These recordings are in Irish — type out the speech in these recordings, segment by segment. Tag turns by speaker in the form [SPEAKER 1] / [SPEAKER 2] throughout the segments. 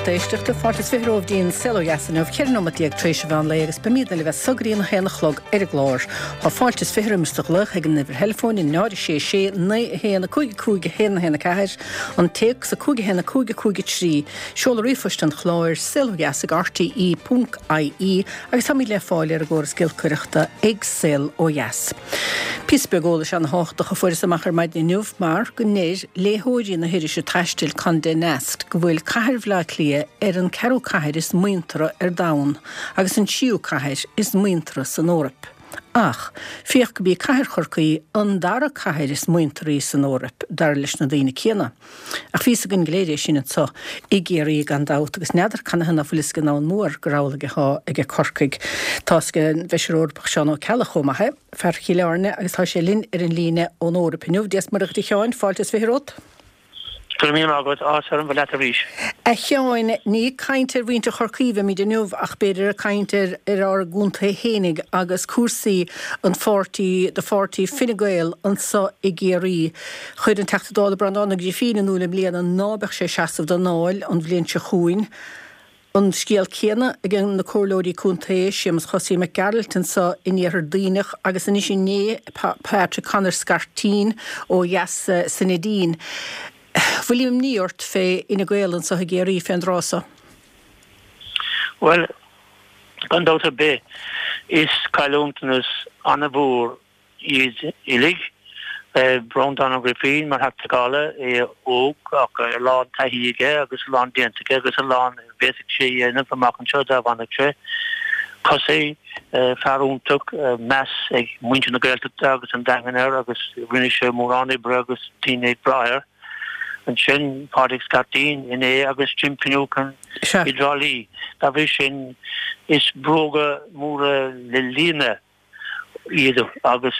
[SPEAKER 1] lucht éisteachta, fáilte is 20 romhaibh go dtí an Saol Ó Dheas inniu, 14 nóimeat tar éis an mheán lae agus beimidne libh as so go dtí an 1 a chlog ar an gclár. Tá fáilte is 20 roimis do ghlaoch ag an uimhir theileafóin, 0 6 6 9 1 5 5 1 1 4, an téacs 5 1 5 5 3, seoladh ríomhphoist an chláir, saolodheas ag rte.ie agus táimid le fáil ar an gcóras giolcaireachta ag Saol Ó Dheas. Píosa beag eolais ana-thábhachtach a fuaireas amach ar maidin inniu mar go ndeir léitheoirí na hirise taistil Condé Nast go bhfuil cathair Bhaile Átha Cliath ar an ceathrú cathair is muinteartha ar domhan agus an tríú cathair is muinteartha san Eoraip. Ach, féach go b'í cathair Chorcaí an dara cathair is muintearthaí san Eoraip, dar leis na daoine céanna. Ach bhí fhios againn go léir é sin anso i gCiarraí gan dabht agus n'fheadar canathaobh ná fuil fhios ag an domhan mór gur amhlaidh athá aige Corcaigh. Tá fhios ag an bhFeisire Eorpach Seán Ó Ceallaigh chomh maith é, fear Chill Airne agus tá sé linn ar an líne ón Eoraip inniu. Dia 's Muire dhuit a Sheáin, fáilte is 20 romhat.
[SPEAKER 2] Go raibh míle maith agat, áthas orm bheith leat arís.
[SPEAKER 1] A Sheáin, ní ag caint ar mhuintir Chorcaí a bheimid inniu ach b'fhéidir ag caint ar ar ár gcontae fhéinig agus cúrsaí an pháirtí, do pháirtí Fine Gael anso i gCiarraí. Chuir an Teachta Dála Breandán Ó Grifín in iúl i mbliana ná beadh sé ag seasamh don Dáil an bhliain seo chugainn. An scéal céanna ag na comhairleoirí contae, Séamus Chosaí Mac Gearailt anso in Iarthar Duibhneach agus anois inné Patrick Conor Scarteen ó dheas sa Neidín. Bhfuil imní ort fé Fhine Gael anso i gCiarraí fén dtráth so?
[SPEAKER 2] Bhuel, gan dabht ar bith, is cailliúntanas an-mhór iad uilig. Breandán Ó Grifín mar Theachta Dála, é óg ach a lán taithí aige agus a lán déanta aige agus a lán a bhféadfadh sé a dhéanamh amach anseo dá bhfanfadh sé. Cosaí, fear iontach, meas ag muintir na Gaeltachta agus an Daingin air agus rinne sé mórán oibre agus daoine ag brath air. Ansin Pádraig Scarteen inné agus Jim Finucane i dTrá Lí. Dá bhrí sin is bróga móra le líonadh iad agus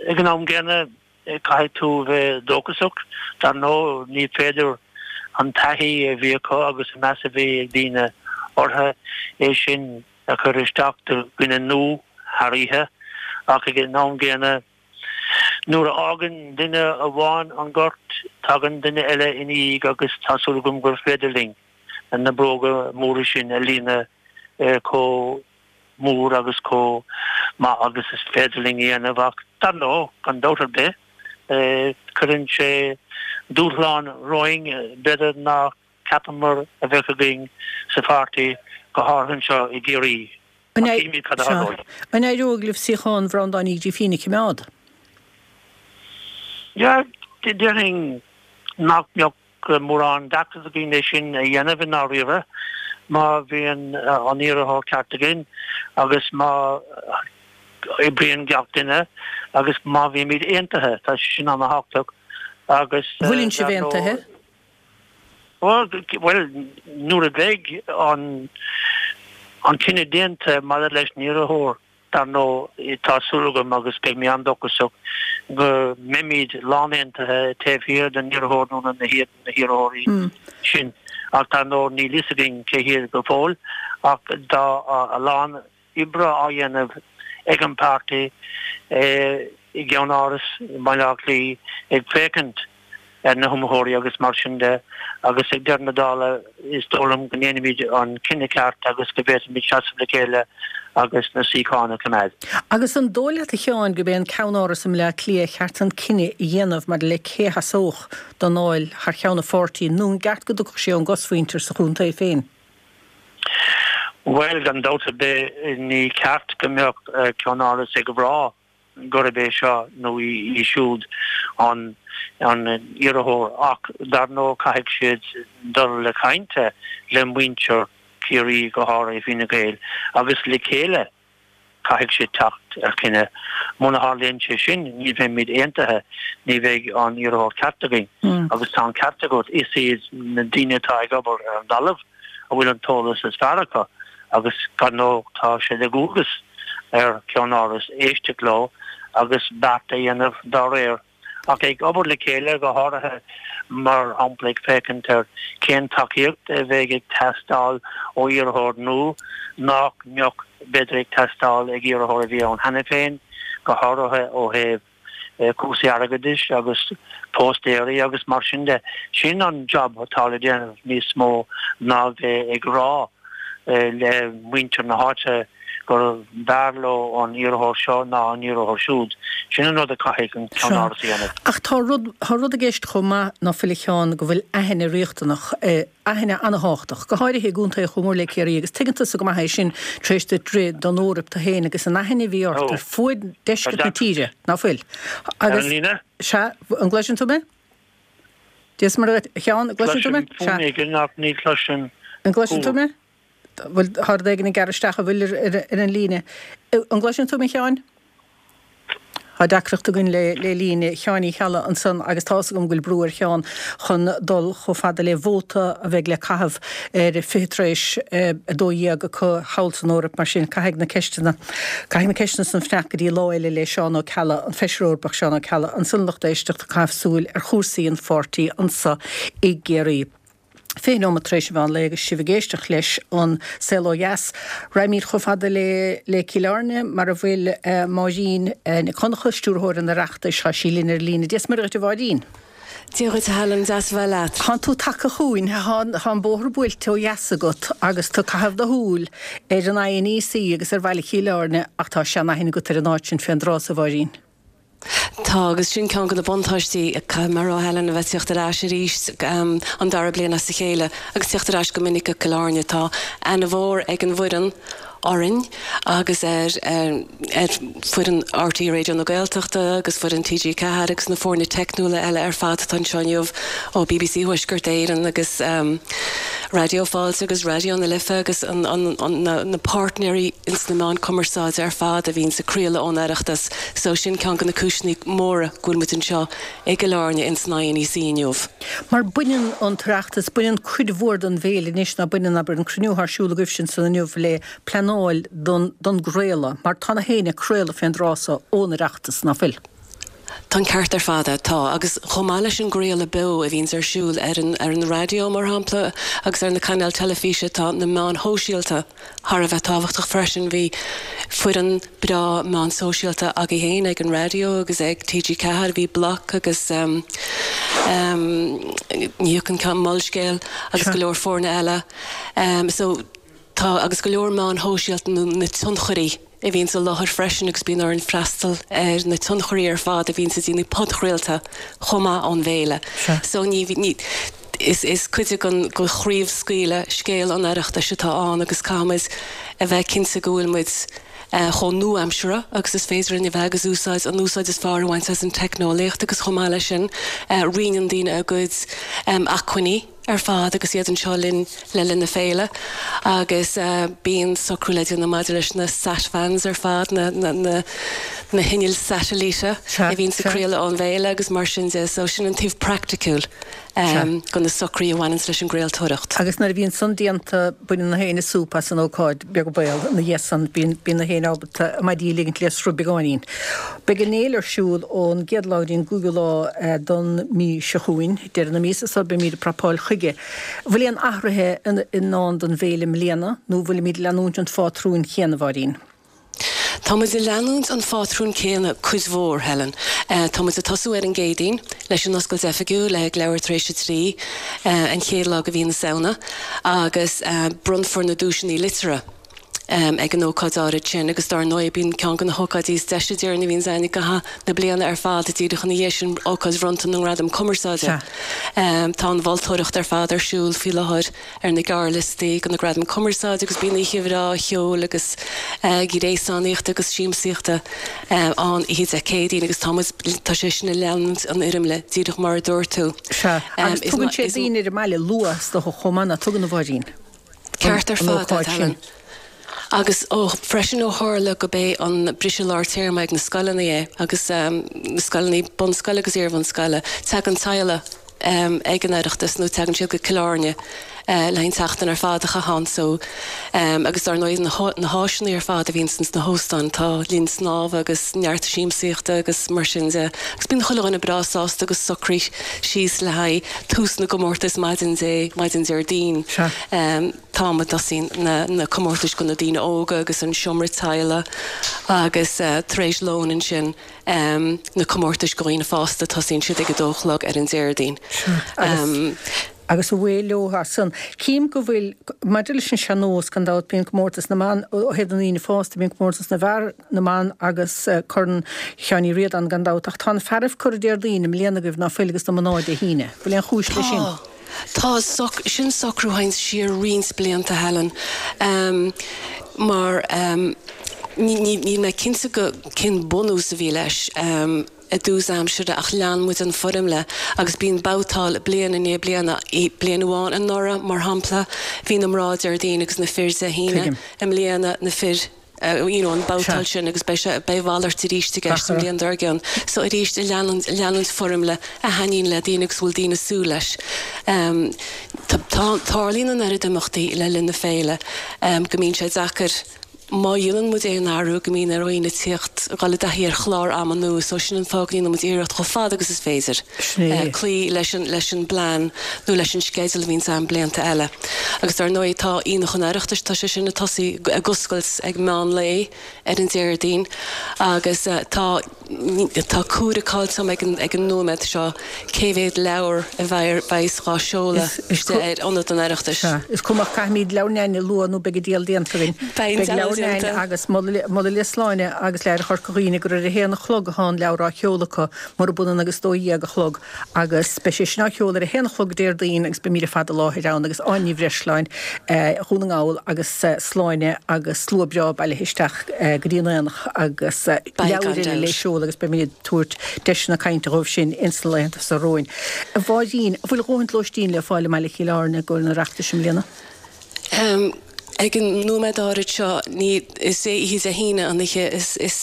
[SPEAKER 2] ag an am gcéanna caithfidh tú a bheith dóchasach. Dar ndóigh ní féidir an taithí a bhí acu agus an meas a bhí ag daoine orthu, é sin a chur isteach do dhuine nua thar oíche ach ag an am gcéanna nuair a fhágann duine amháin an gort tagann duine eile ina dhiaidh agus tá súil agam gur féidir linn na bróga móra sin a líonadh chomh mór agus chomh maith agus is féidir linn a dhéanamh ach dar ndóigh, gan dabht ar bith, cuireann sé dúshlán romhainn, b'fhéidir nár cheapamar a bheadh againn sa pháirtí, go háirithe anseo i gCiarraí.
[SPEAKER 1] Ach cífimid cad a tharlóidh. An éireoidh libh suíochán Bhreandáin Uí Ghrífín a choimeád?
[SPEAKER 2] Yeah, déarfainn nach mbeadh mórán deacracht againn é sin a dhéanamh i ndáiríre má bhíonn an iarrthóir ceart againn agus má oibríonn gach duine agus má bhímid aontaithe. Tá sé sin an-thábhachtach
[SPEAKER 1] agus. Bhfuileann sibh aontaithe?
[SPEAKER 2] Bhuel, nuair a bheidh an cinneadh déanta maidir leis an iarrthóir, Dar ndóigh, tá súil agam, agus beidh mé an-dóchasach, go mbeimid lánaontaithe taobh thiar den iarrthóir nó na hiarrthóirí sin. Ach dar ndóigh, níl fhios againn cé hiad go fóill. Ach tá a lán oibre á dhéanamh ag an bpáirtí i gceann-áras i mBaile Átha Cliath ag féachaint ar na hiomaitheoirí agus mar sin de agus ag deireadh na dála is dóigh liom go ndéanfaimid an cinneadh ceart agus go bhféadfaimid seasamh le chéile agus na suíocháin a choimeád.
[SPEAKER 1] Agus an dóigh leat a Sheáin gurb é an ceann-áras i mBleá Cliath ar cheart an cinneadh a dhéanamh maidir le cé a sheasódh don Dáil thar cheann an pháirtí nó an gceart go dtiocfadh sé ón gcosmhuintir sa chontae féin?
[SPEAKER 2] Bhuel, gan dabht ar bith ní ceart go mbeadh ceann-áras ag rá gurb é seo nó í siúd an iarrthóir ach dar ndóigh caithfidh siad dul le caint le muintir Chiarraí, go háirithe Fine Gael, agus le chéile caithfidh siad teacht ar chinneadh. Muna tharlaíonn sé sin ní bheimid aontaithe, ní bheidh an iarrthóir ceart againn. Agus tá an ceart agat, is iad na daoine atá ag obair ar an dtalamh a bhfuil an t-eolas is fearr acu agus dar ndóigh tá sé de dhualgas ar cheann-áras éisteacht leo agus beart a dhéanamh dá réir. Ach ag obair le chéile, go háirithe mar shampla ag féachaint ar cén tacaíocht a bheidh ag teastáil ó iarrthóir nua nach mbeadh b'fhéidir ag teastáil ag iarrthóir a bhí ann cheana féin, go háirithe ó thaobh. Cúrsaí airgeadais agus póstaeirí agus mar sin de. Sin an job atá le déanamh níos mó ná bheith ag rá le muintir na háite gur bhfearr leo an iarrthóir seo ná an iarrthóir siúd. Sin an rud a caithfidh an ceann-áras a dhéanamh.
[SPEAKER 1] Ach tá rud, tá rud i gceist chomh maith ná fuil a Sheáin, go bhfuil aithne riachtanach, aithne ana-thábhachtach, go háirithe i gcontae chomh mór le Ciarraí agus tuigeann tusa go maith é sin tar éis duit rith don Eoraip tú féin agus an aithne a bhí ort ar fuaid deisceart na tíre, ná fuil?
[SPEAKER 2] Ar an líne?
[SPEAKER 1] Sea, an gcloiseann tú mé? Dia is Muire dhuit, a Sheáin, an gcloiseann tú mé?
[SPEAKER 2] Cloisim fuaim éigin ach ní chloisim
[SPEAKER 1] An gcloiseann tú mé? Bhfuil, tá rud éigin ag gearradh isteach, an bhfuil ar an líne? An gcloiseann tú mé, a Sheáin? Tá deacracht againn le le líne Sheáin Uí Cheallaigh ansan agus tá fhios agam go bhfuil brú ar Sheán chun dul chomh fada le vóta a bheidh le caitheamh ar 12 tar éis 12 acu thall san Eoraip mar sin caithfidh na ceisteanna caithfidh na ceisteanna san fanacht go dtí lá eile le Seán Ó Ceallaigh, an Feisire Eorpach Seán Ó Ceallaigh ansan lucht éisteachta ag caitheamh súil ar chúrsaí an pháirtí anso i gCiarraí. 20 nóiméad tar éis an mheán lae agus sibh ag éisteacht leis An Saol Ó Dheas. Raghaimid chomh fada le le Cill Airne mar a bhfuil Máirín Nic Dhonncha, Stiúrthóir an Oireachtais. Tá sí linn ar an líne. Dia is Muire dhuit a Mháirín.
[SPEAKER 3] Dia dhuit a Helen, deas a bheith leat.
[SPEAKER 1] Tánn tú tagtha chugainn, tá an bóthar buailte ó dheas agat agus tú ag caitheamh do shúil ar an INEC agus ar bhaile Chill Airne ach tá sean-aithne agat ar an áit sin fén dtráth so, a Mháirín.
[SPEAKER 3] Tá, agus sin ceann de na buntáistí, caithfidh mé a rá, Helen, a bheith ag tíocht ar ais arís an dara bliain as a chéile agus tíocht ar ais go minic go Cill Airne. Tá aithne mhór ag an bhfoireann orainn agus ar ar foireann RTÉ Raidió na Gaeltachta agus foireann TG4 agus na foirne teicniúla eile ar fad atá anseo inniu ó bbc Thuaisceart Éireann agus Raidió Fáilte agus Raidió na Life agus na páirtnéirí ins na meáin cumarsáide ar fad a bhíonns ag craoladh ón Oireachtas. So sin ceann de na cúiseanna móra go bhfuil muid anseo i gCill Airne ins an INEC inniu.
[SPEAKER 1] Mar baineann an tOireachtas, baineann cuid mhór den bhféile anois ná baineann, abair, an cruinniú atá ar siúl agaibhse ansan inniu le pleanáil don don gcraoladh, mar tá na héinne ag craoladh fén dtráth so ón Oireachtas, ná fuil?
[SPEAKER 3] Tá an ceart ar fad agat, tá. Agus chomh maith leis an gcraoladh beo a bhíonns ar siúl ar an ar an raidió, mar shampla, agus ar na cainéil teilifíse, tá na meáin shóisialta thar a bheith tábhachtach freisin. Bhí foireann breá meán sóisialta againn féin ag an raidió agus ag TG4, bhí Bloc agus ní thiocfaidh an ceann, Molscéal agus go leor foirne eile. So tá, agus go leor meáin shóisialta nó na tionchairí a bhíonns i láthair freisin agus bíonn orainn freastal ar na tionchairí ar fad a bhíonns ag déanamh podchraolta chomh maith ón bhféile. So ní, ní, is, is cuid den chraobhscaoileadh scéal an Oireachtais atá ann agus caithfimid a bheith cinnte go bhfuil muid chomh nua-aimseartha agus is féidir linn a bheith agus úsáid, an úsáid is fearr a bhaint as an teicneolaíocht agus chomh maith leis sin roinneann daoine a gcuid acmhainní ar fad agus iad anseo linn le linn na féile agus bíonn socrú le déanamh maidir leis na sat vans ar fad, na, na, na, na hinnill satailíte a bhíonns ag craoladh ón bhféile agus mar sin de. So sin an taobh praiticiúil. de na socruithe a bhaineanns leis an gcraoltóireacht.
[SPEAKER 1] Agus nuair a bhíonn san déanta, baineann na héinne súp as an ócáid, beag an baol, ina dhiaidh san, bíonn, bíonn na héinne ábalta a maidí a ligint le sruth beagáinín. Beidh an fhéile ar siúl ón gcéad lá go dtí an gcúigiú lá don mí seo chugainn, deireadh na míosa so, beimíd ag prapáil chuige. An bhfuil aon athruithe i ndán don bhféile i mbliana, nó an bhfuilimíd ag leanúint an phátrúin chéanna, a Mháirín?
[SPEAKER 3] Tá muid ag leanúint an phátrúin céanna cuid mhór, Helen. Tá muid ag tosú ar an gCéadaoin leis an oscailt oifigiúil ag leathuair tar éis a 3, an chéad lá de mhí na Samhna, agus bronnfar na duaiseanna liteartha ag an ócáid áirid sin agus dár ndóigh bíonn ceann de na hócáidí is deise déarfainn a bhíonns againn i gcaitheamh na bliana ar fad díreach ina dhiaidh sin, ócáid bhronnta na nGradam Cumarsáide. Tá an mholtóireacht ar fad ar siúl faoi láthair. ar na gearrliostaí do na Gradaim Cumarsáide agus bíonn oíche bhreá cheoil agus gréasánaíochta agus siamsaíochta ann oíche Dé Céadaoin agus tá muid, tá sé sin ag leanúint an fhoirmle díreach mar a dúirt tú.
[SPEAKER 1] Sea, agus tugann sé daoine ar an mbaile luath is dócha chomh maith, nach dtugann a Mháirín?
[SPEAKER 3] Ceart ar fad, Helen. Agus ó, freisin ó tharla go b'é an briseadh lár téarma ag na scoileanna é agus na scoileanna bunscoile agus iarbhunscoile, tagann teaghlaigh ag an Oireachtas nó tagann siad go Cill Airne. le haghaidh an tseachtain ar fad a chaitheamh ann so agus dar ndóigh na háiseanna ar fad a bhíonn ins na hóstáin, tá linn snámha agus neart siamsaíochta agus mar sin de agus bíonn chuile dhuine breá sásta agus socraithe síos le haghaidh tús na gcomórtas maidin Dé, maidin Déardaoin. An t-am a dtosaíonn na na comórtais do na daoine óga agus an seomra teaghlaigh agus tar éis lóin ansin na comórtais do dhaoine fásta, tosaíonn siad ag a dó a chlog ar an Déardaoin.
[SPEAKER 1] Sea. Agus away leo as san. Cím go bhfuil, maidir leis an sean-nós, gan dabht, bíonn comórtas na mban, ó thaobh na ndaoine fásta, bíonn comórtas na bhfear, na mban agus Corn Sheáin Uí Ríordáin gan dabht, ach tá na fearaibh curtha Déardaoin i mbliana agaibh ná fuil agus na mná Dé hAoine. Bhfuil aon chúis leis sin?
[SPEAKER 3] Tá. Tá. Sin socrú a théann siar roinnt blianta, Helen. Mar níl mé cinnte go cén bunús a bhí leis. i dtús aimsire ach lean muid an foirmle agus bíonn babhtáil bliain i ndiaidh bliana. Bliain amháin anuraidh, mar shampla, bhí na mná Déardaoin agus na fir Dé hAoine. I mbliana, na fir, you know, an babhtáil sin agus beidh sé, beidh a mhalairt arís i gceist an bhliain dár gcionn. So arís, leanúint, leanúint foirmle a thaitníonn le daoine agus a bhfuil daoine ag súil leis. Tá, tarlaíonn an oiread imeachtaí le linn na féile go mbíonn sé deacair, Má dhéanann muid aon athrú go mbíonn ar dhaoine tíocht, dhul i dtaithí ar chlár ama nua so sin an fáth go ndéanann muid iarracht chomh fada agus is féidir cloí leis an leis an bplean nó leis an sceideal a bhíonns ann blianta eile. Agus dar ndóigh tá Aonach an Oireachtais, tá sé sin ag tosaí, ag oscailt ag meán lae ar an Déardaoin agus tá. Tá comhaireamh caillte agam ag an ag an nóiméad seo cé mhéad leabhar a bheidh á seoladh istigh ar Ionad an Oireachtais.
[SPEAKER 1] Sea, is cuma ach caithfimid Leabhar Neaine a lua nó beidh an diabhal déanta againn.
[SPEAKER 3] Beidh an
[SPEAKER 1] Beidh
[SPEAKER 3] diabhal
[SPEAKER 1] Leabhar Neaine
[SPEAKER 3] déanta.
[SPEAKER 1] agus moladh le Sláine agus le hAire Chorca Dhuibhne gur ar a haon a chlog atá an leabhar á sheoladh acu, murab ionann agus 12 a chlog. Agus beidh sé sin á sheoladh ar a haon a chlog Déardaoin agus beimid ar fad i láthair ann agus Áine Ní Bhreisleáin, Dhún na nGall agus Sláine agus slua breá bailithe isteach go dtí an aonach agus leabhair eile le seoladh agus beimid ag tabhairt deiseanna cainte dhóibh sin ins na laethanta seo romhainn. A Mháirín, an bhfuil a dhóthaint lóistín le fáil i mBaile Chill Airne i gcomhair an Oireachtais i mbliana?
[SPEAKER 3] Ag an nóiméad áirid seo, ní, is é oíche Dé hAoine an oíche is, is,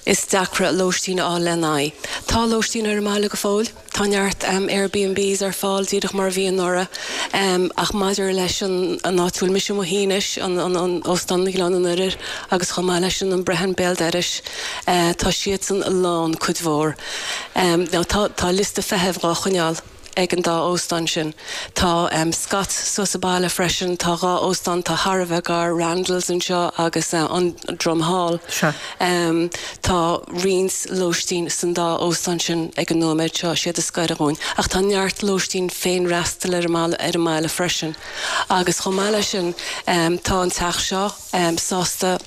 [SPEAKER 3] is deacra lóistín a fháil lena aghaidh. Tá lóistín ar an mbaile go fóill, tá neart Airbnbs ar fáil díreach mar a bhí anuraidh, ach maidir leis an, an áit a bhfuil mise i mo shuí anois, an, an, an Óstán Ghleann an Oirthir agus chomh maith leis an An Brehon béal dorais, tá siadsan lán cuid mhór. Now tá, tá liosta feithimh dhá choinneáil. ag an dá óstán sin. Tá Scott's suas sa baile freisin. Tá dhá óstán atá thar a bheith gar, Randalls anseo agus an Drum Hall. Tá roinnt lóistín san dá óstán sin ag an nóiméad seo, siad is gaire dhúinn. Ach tá neart lóistín féinfhreastail ar an mbaile freisin. Agus chomh maith leis sin, tá an teach seo sásta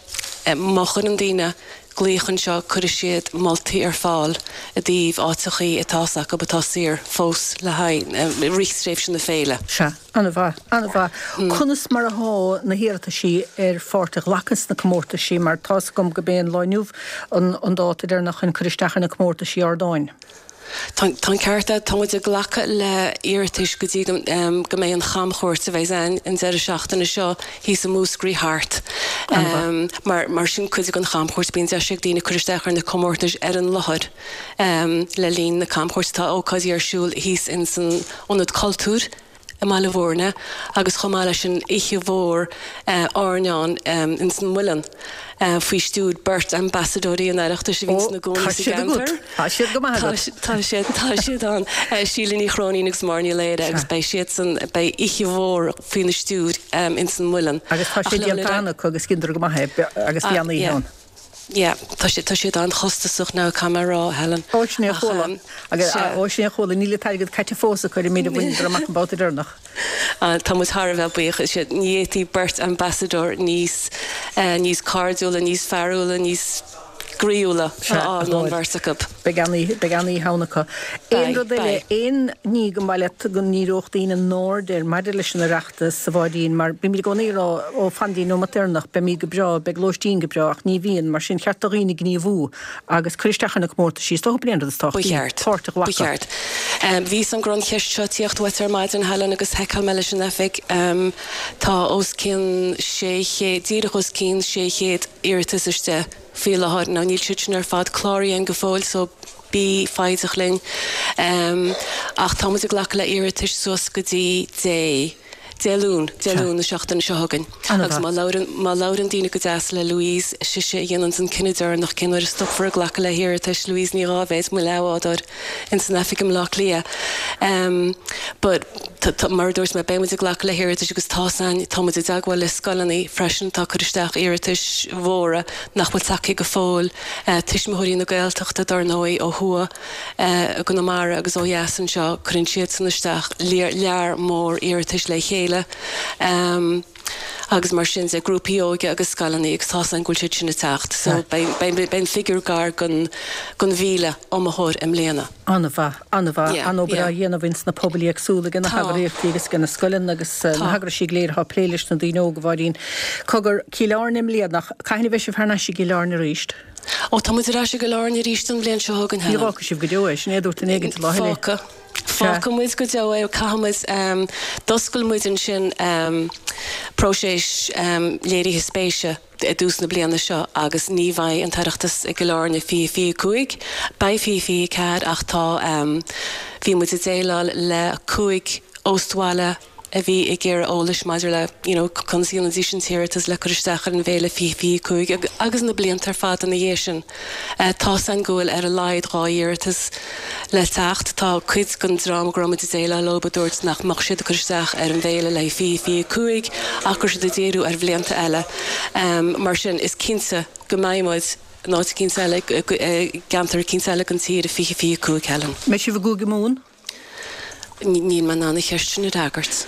[SPEAKER 3] má chuireann daoine glaoch anseo, cuirfidh siad moltaí ar fáil i dtaobh áiteachaí atá acu atá saor fós le haghaidh rith tréimhse na féile.
[SPEAKER 1] Sea, an-mhaith, an-mhaith. Conas mar athá na hiarrataisí ar pháirt a ghlacadh sna comórtaisí, mar tá's agam go b'é an lá inniu an dáta deireanach chun cur isteach ar na comórtaisí ardáin.
[SPEAKER 3] Tá an ceart agat, tá muid ag glacadh le hiarratais go dtí go mbeidh an chamchuairt a bheidh againn an deireadh seachtaine seo thíos i Múscraí thart. Mar sin cuid den chamchuairt, bíonn deis ag daoine cur isteach ar na comórtais ar an láthair le linn na camchuairte. Tá ócáidí ar siúl thíos ins an Ionad Cultúir. i mBaile Bhúirne agus chomh maith leis an oíche mhór airneáin ins an Muileann faoi stiúir beirt ambasadóirí an Oireachtais a bhíonns ina gcónaí sa gceantar.
[SPEAKER 1] Tá siad go maith agat.
[SPEAKER 3] Tá siad, tá siad ann. Síle Ní Chróinín agus Máire Ní Laoire agus beidh siadsan, beidh oíche mhór faoina stiúir ins an Muileann.
[SPEAKER 1] Agus tá sé déanta cheana acu agus dheineadar go maith é agus bhí an-oíche ann.
[SPEAKER 3] Yeah, tá siad, tá siad an-chostasach now, caithfidh mé a rá, Helen.
[SPEAKER 1] Ó, sin é a chuala. Agus, ó, sin é a chuala, níl an t-airgead caite fós acu ar an méid a bhaineadar amach an babhta deireanach.
[SPEAKER 3] Tá muid thar a bheith buíoch. Is ea, ní fhéadfaí beirt ambassadóir níos, níos cairdiúla, níos fearúla, níos groíúla a fháil ná an bheirt acu.
[SPEAKER 1] Beidh an-oíche, beidh an-oíche ann acu. Aon rud eile, aon ní go mba mhaith leat go ndíreodh daoine a n-aird air maidir leis an Oireachtas? a Mháirín, mar bímid i gcónaí ag rá, ó, fan dtí an nóimeat deireanach, beimid go breá, beidh lóistín go breá, ach ní bhíonn, mar sin cheart do dhaoine gníomhú agus cur isteach ar na comórtaisí, is dócha b'in é an rud is
[SPEAKER 3] Ba
[SPEAKER 1] tábhachtaí,
[SPEAKER 3] cheart.
[SPEAKER 1] páirt a
[SPEAKER 3] Ba
[SPEAKER 1] ghlacadh.
[SPEAKER 3] cheart. Bhí an grá an cheist seo ag tíocht uait ar maidin, Helen, agus sheiceáil mé leis an oifig, tá os cionn 600, díreach os cionn 600 iarratas istigh faoi láthair. Now níl siad sin ar fad cláraithe againn go fóill, so bí foighdeach linn. Ach tá muid ag glacadh le iarratais suas go dtí Dé. Dé Luain, Dé Luain na seachtaine seo chugainn. Agus má labhrann, má labhrann daoine go deas le Louise, sise a dhéananns an cinneadh deireanach cén uair a stopfar ag glacadh le hiarratais, Louise Ní Dháibhéid, mo leathbhádóir ins an oifig i mBleá Cliath. But, tá, mar a dúirt mé, beidh muid ag glacadh le hiarratais agus tá's a'inn, tá muid i dteagmháil le scoileanna freisin atá ag cur isteach iarratais mhóra nach bhfuil tagtha go fóill, Tuismitheoirí na Gaeltachta dar ndóigh ó thuaidh. i gConamara agus ó dheas anseo, cuireann siadsan isteach lear mór iarratais le chéile agus mar sin de, grúpaí óige agus scoileanna agus tá's a'inn go bhfuil siad sin ag teacht. So beidh an figiúr gar don 1,000 iomaitheoir i mbliana.
[SPEAKER 1] An-mhaith, an-mhaith, an-obair á dhéanamh ins na pobail éagsúla ag na heagraíochtaí agus ag na scoileanna agus na heagraisí go léir atá ag plé leis na daoine óga, a Mháirín. Cogar, Cill Airne i mbliana, cathain a bheidh sibh thar n-ais i gCill Airne arís?
[SPEAKER 3] Ó, tá muid ar ais i gCill Airne arís an bhliain seo chugainn,
[SPEAKER 1] Ní Helen. fhágfaidh sibh go deo é, sin é a dúirt duine éigin lá eile.
[SPEAKER 3] Fágfaidh. Fágfaidh muid go deo é, caithfidh muid, d'oscail muid ansin próiseas léirithe spéise i dtús na bliana seo agus ní bheidh an tOireachtas i gCill Airne 2025, beidh 2024 ach tá, bhí muid ag déileáil le 5 óstbhaile, a bhí ag iarraidh eolais maidir le you know conas a dhéanfaidís an t-iarratas le cur isteach ar an bhféile 2025 agus na blianta ar fad ina dhiaidh sin. Tá's a'inn go bhfuil ar a laghad 2 iarratas le teacht. Tá cuid den dream go raibh muid ag déileáil leo a dúirt nach mbeadh siad ag cur isteach ar an bhféile le haghaidh 2025 ach go raibh siad ag díriú ar bhlianta eile. Mar sin is cinnte go mbeidh muid in áit eicínt eile, i gceantar eicínt eile den tír i 2025, Helen.
[SPEAKER 1] Mbeidh sibh i gCúige Mumhan?
[SPEAKER 3] Níl mé in ann an cheist sin a fhreagairt.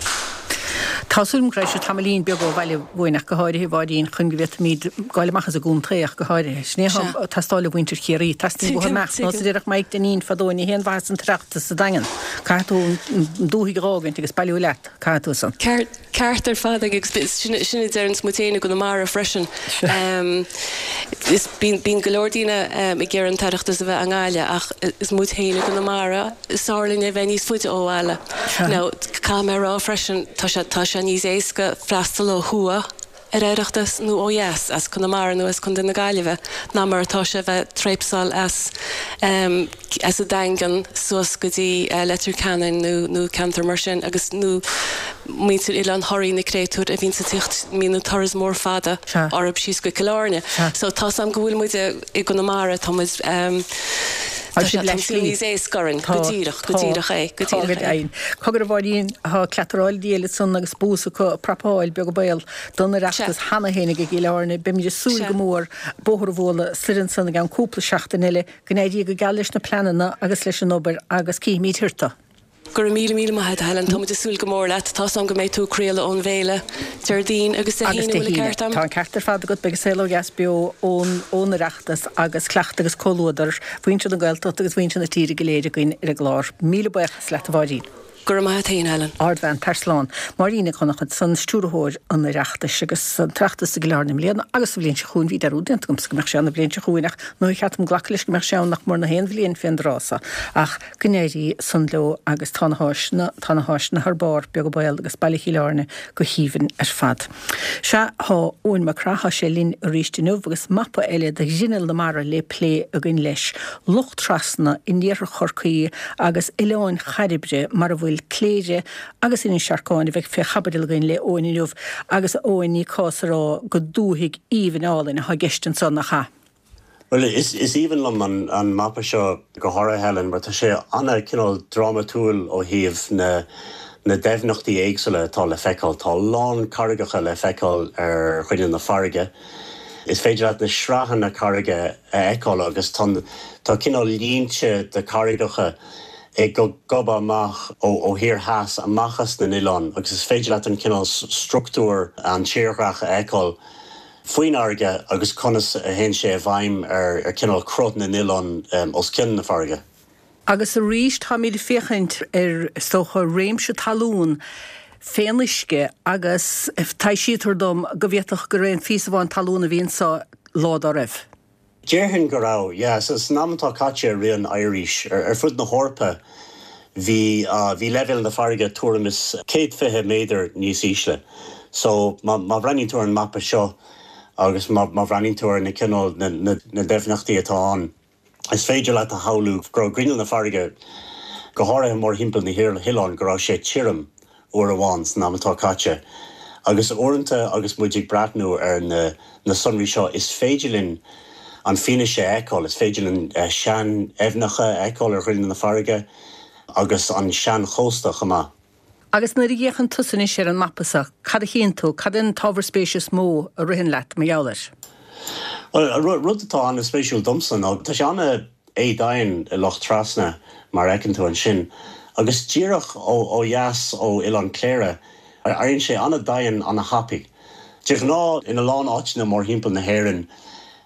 [SPEAKER 1] Tá súil agam go raibh sibh tamaillín beag ó bhaile uainn ach go háirithe, a Mháirín, chun go bhféadfaimid gabháil amach as an gcontae ach go háirithe. Sin é atá ag teastáil ó mhuintir Chiarraí. Teastaíonn uathu imeacht. Nós a déarfadh Maidhc Dainín fadó, ní haon mhaitheas an tOireachtas sa Daingean. Caithfidh tú an dúthaigh a dh'fhágaint agus bailiú leat. Caithfidh tú san.
[SPEAKER 3] Ceart. Ceart ar fad agus sin a deireanns muid féin i gConamara freisin. Is bíonn go leor daoine ag iarraidh an tOireachtas a bheith i nGaillimh ach is muid féin i gConamara is fearr linn é a bheith níos faide ó bhaile. Now caithfidh mé a rá freisin tá sé tá sé níos éasca freastal ó thuaidh ar Oireachtas nó ó dheas as Conamara nó as Contae na Gaillimhe ná mar atá sé a bheith tréapsáil as as an Daingean suas go dtí Leitir Ceanainn nó nó ceantar mar sin agus nó muintir Oileán Thoraí na créatúir a bhíonns ag tíocht mbíonn an turas mór fada orthub síos go Cill Airne. So tá's a'm go bhfuil muid i gConamara tá muid tá sé tá sé níos éasca orainn go díreach go díreach é go díreach
[SPEAKER 1] é. Cogar a Mháirín tá cleataráil di eile san agus bús acu ag prapáil beag an baol don Oireachtas cheana féin ag Cill Airne. Beimid ag súil go mór bóthar a bhualadh soir ansan i gceann cúpla seachtain eile. Go n-éirí go geal leis na pleananna agus leis an obair agus cífimid thiar tú.
[SPEAKER 3] Go raibh míle míle maith agat a Helen, tá muid ag súil go mór leat. Tá's a'm go mbeidh tú ag craoladh ón bhféile Déardaoin agus Dé
[SPEAKER 1] Haoine,
[SPEAKER 3] bhfuil an ceart
[SPEAKER 1] a'm? Tá an ceart ar fad agat, beidh An Saol Ó Dheas beo ón ón Oireachtas agus cleachtadh agus comhluadar mhuintir na Gaeltachta agus mhuintir na tíre go léir againn ar an gclár. Míle buíochas leat a Mháirín.
[SPEAKER 3] Go raibh maith a't fhéin, Helen.
[SPEAKER 1] Ardbhean, tar slán. Máirín Nic Dhonncha ansan, Stiúrthóir an Oireachtais agus an tOireachtas i gCill Airne i mbliana agus sa bhliain seo chugainn. Bhí dearúd déanta agamsa go mbeadh sé ann an bhliain seo chugainn ach nó cheart dom glacadh leis go mbeadh sé ann nach mór na haon bhliain fén dtráth so. Ach go n-éirí san leo agus tá na háiseanna, tá na háiseanna thar barr, beag an baol agus baile Chill Airne go haoibhinn ar fad. Sea, thá Eoin Mac Craith, thá sé linn arís inniu agus mapa eile de ghrinneall na mara le plé againn leis. Loch Trasna in iarthar Chorcaí agus Oileáin Chairbre mar a bhfuil Cléire agus Inis Sharcáin a bheidh fé chaibidil againn le Eoin inniu. Agus a Eoin, ní cás a rá gur dúthaigh aoibhinn álainn athá i gceist anso, nach ea?
[SPEAKER 4] Bhuel, is aoibhinn liom an mapa seo go háirithe, Helen, mar tá sé ana-chineál drámatúil ó thaobh na na doimhneachtaí éagsúla atá le feiceáil. Tá a lán carraigeacha le feiceáil ar ghrinneall na farraige. Is féidir leat na sraitheanna carraige a fheiceáil agus tá tá cineál línte de charraigeacha ag gobadh amach ó thiar theas amach as na n-oileán agus is féidir leat an cineál struchtúr an tírdhreach a fheiceáil. faoin fharraige agus conas a théann sé i bhfeidhm ar chineál cruth na n-oileán os cionn na farraige.
[SPEAKER 1] Agus arís táimid ag féachaint ar, is dócha, réimse talún fén uisce agus taibhsítear dom go bhféadfadh gur aon phíosa amháin talún a bhí anso lá dá raibh.
[SPEAKER 4] Déarfainn go raibh, yeah. San am atá caite i rith an oighir, ar fud na hEorpa, bhí, bhí leibhéal na farraige tuairim is 120 méadar níos ísle. So, má, má bhreathnaíonn tú ar an mapa seo agus má, má bhreathnaíonn tú ar na cineál, na, na, na doimhneachtaí atá ann, is féidir leat a shamhlú go raibh grinneall na farraige, go háirithe mórthimpeall na hoileáin, go raibh sé tirim. uair amháin san am atá caite. Agus uaireanta agus muid ag breathnú ar na na sonraí seo is féidir linn an fianaise a fheiceáil, is féidir linn sean-aibhneacha a fheiceáil ar ghrinneall na farraige agus an sean-chósta chomh maith.
[SPEAKER 1] Agus nuair a fhéachann tusa anois ar an mapa seo, cad a chíonn tú? Cad é an t-ábhar spéise is mó a ritheann leat mar gheall air?
[SPEAKER 4] Bhuel, rud atá an-spéisiúil domsa ná tá sé an-éadomhain i Loch Trasna, mar a fheiceann tú ansin, agus díreach ó dheas ó Oileán Cléire, éiríonn sé an-domhain an-thapaidh. De ghnáth, ina lán áiteanna mórthimpeall na hÉireann,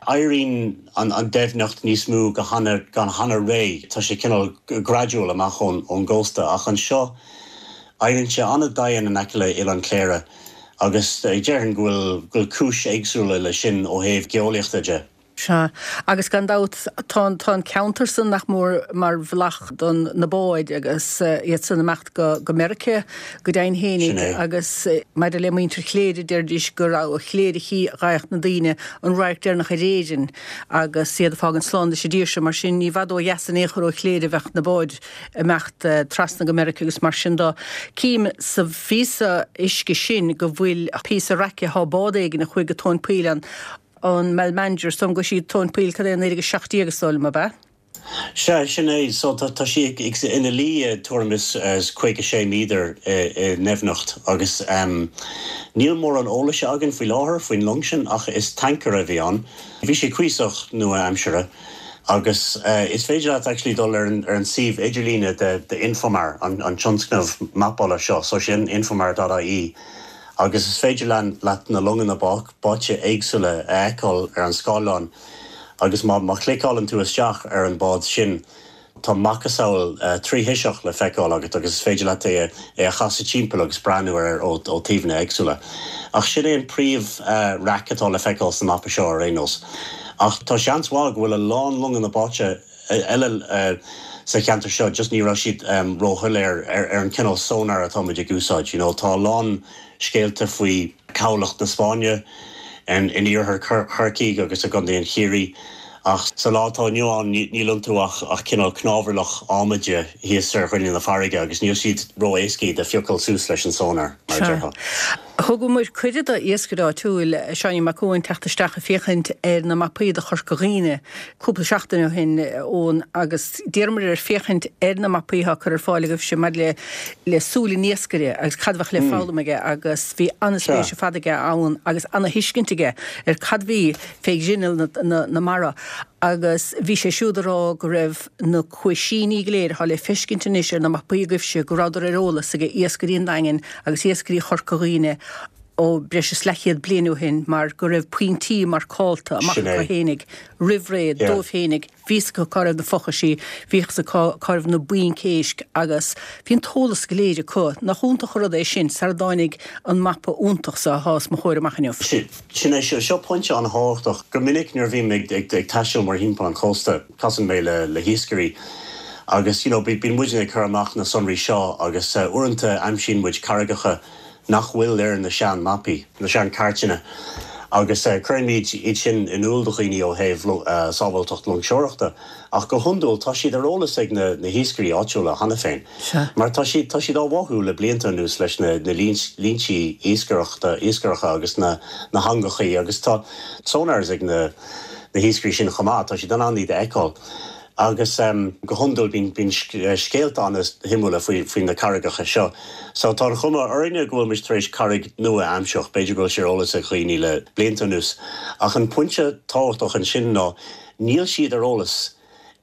[SPEAKER 4] éiríonn an doimhneacht níos mó go han-réidh, tá sé cineál gradual amach ón gcósta, ach anseo éiríonn sé an-domhain in aice le Oileán Cléire agus déarfainn go bhfuil cúis éagsúla leis sin ó thaobh geolaíochta de.
[SPEAKER 1] Sea, agus gan dabht tá an, tá an ceantar san nach mór mar bhealach don na báid agus iad san imeacht go, go Meiriceá go deimhin
[SPEAKER 4] Sin
[SPEAKER 1] fhéinig
[SPEAKER 4] é.
[SPEAKER 1] agus maidir le muintir Chléire deiridís go raibh ó Chléire a chífeadh na daoine an radharc deireanach ar Éirinn agus iad ag fágaint slán leis an dtír seo mar sin ní i bhfad ó dheas in aon chor ó Chléire a bheadh na báid imeacht trasna go Meiriceá agus mar sin do. Cím sa phíosa uisce sin go bhfuil píosa raice, thá bád éigin a chuaigh go tóin poill ann. an Malmanger, is dóigh liom go raibh sí tóin poill, cad é, 1917 is dóigh liom, ab ea?
[SPEAKER 4] Sea, sin é. So tá tá sí ag ina luí tuairim is 56 méadar i ndoimhneacht agus níl mórán eolais againn faoi láthair faoin long sin ach is tancaer a bhí ann. Bhí sé cuíosach nua-aimseartha agus is féidir leat actually dul ar an ar an suíomh idirlíne de de Infomar, an an tionscnamh mapála seo, so sin infomar dot ie. Agus is féidir leat na longanna báite éagsúla a fheiceáil ar an scáileán agus má chliceálann tú isteach ar an bád sin tá macasamhail tríthoiseach le feiceáil agat agus is féidir leat é a chasadh timpeall agus breathnú air ó taobhanna éagsúla. Ach sin é an príomh raic atá le feiceáil sa mapa seo ar aon nós. Ach tá seans mhaith go bhfuil a lán longanna báite eile sa cheantar seo, just ní raibh siad róshoiléir ar an cineál sonar atá muid ag úsáid, you know. Tá a lán scéalta faoi chabhlach na Spáinne in iarthar Chorcaí agus i gContae an Chiarraí ach sa lá atá inniu ann níl iontu ach cineál cnámharlach adhmaide thíos ar ghrinneall na farraige agus níl siad ró-éasca iad a phiocáil suas leis an sonar, mar a déarfá.
[SPEAKER 1] Thugamar cuireadh do iascaire áitiúil, Seáinín Mac Eoin, teacht isteach ag féachaint ar na mapaí do Chorca Dhuibhne cúpla seachtain ó shin, Eoin, agus d'iarramar air féachaint ar na mapaí atá curtha ar fáil agaibhse maidir le le súil an iascaire agus cad a bheadh le foghlaim aige agus bhí an-spéis ar fad aige ann agus an-thuiscint aige ar cad bhí fé ghrinneall na na mara agus bhí sé siúd ag rá go raibh na cuaisíní go léir atá le feiscint anois ar na mapaí agaibhse go rabhadar ar eolas ag iascairí an Daingin agus iascairí Chorca Dhuibhne ó breis is leathchéad bliain ó shin mar go raibh pointí marcálta amach
[SPEAKER 4] Sin
[SPEAKER 1] acu
[SPEAKER 4] é.
[SPEAKER 1] fhéinig roimh ré
[SPEAKER 4] Yeah.
[SPEAKER 1] dóibh fhéinig, bhí fhios acu cá raibh na fochaisí, bhí fhios acu cá raibh na bainc éisc agus bhí an t-eolas go léir acu. Nach iontach an rud é sin sara dtáinig an mapa iontach so atá os mo chomhair amach inniu.
[SPEAKER 4] Sin é, seo pointe an-thábhachtach. Go minic nuair a bhím ag taisteal mórthimpeall an chósta, casann mé le hiascairí agus you know bíonn muidne ag cur amach na sonraí seo agus uaireanta aimsíonn muid carraigeacha nach bhfuil ar na sean mapaí, na sean cairteanna agus cuirimid iad sin in iúl do dhaoine ó thaobh sábháilteacht loingseoireachta ach go hiondúil tá siad ar eolas ag na hiascairí áitiúla cheana féin mar tá siad tá siad á bháthú le blianta anuas leis na línte iascaireachta iascaireacha agus na na heangachaí agus tá sonars ag na na hiascairí sin chomh maith, tá siad in ann iad a fheiceáil agus go hiondúil bíonn bíonn scéalta an-shuimiúla faoi faoi na carraigeacha seo. So tá an chuma orainne go bhfuil muid tar éis carraig nua a aimsiú, b'fhéidir go bhfuil sé ar eolas ag dhaoine le blianta anuas ach an pointe tábhachtach ansin ná níl siad ar eolas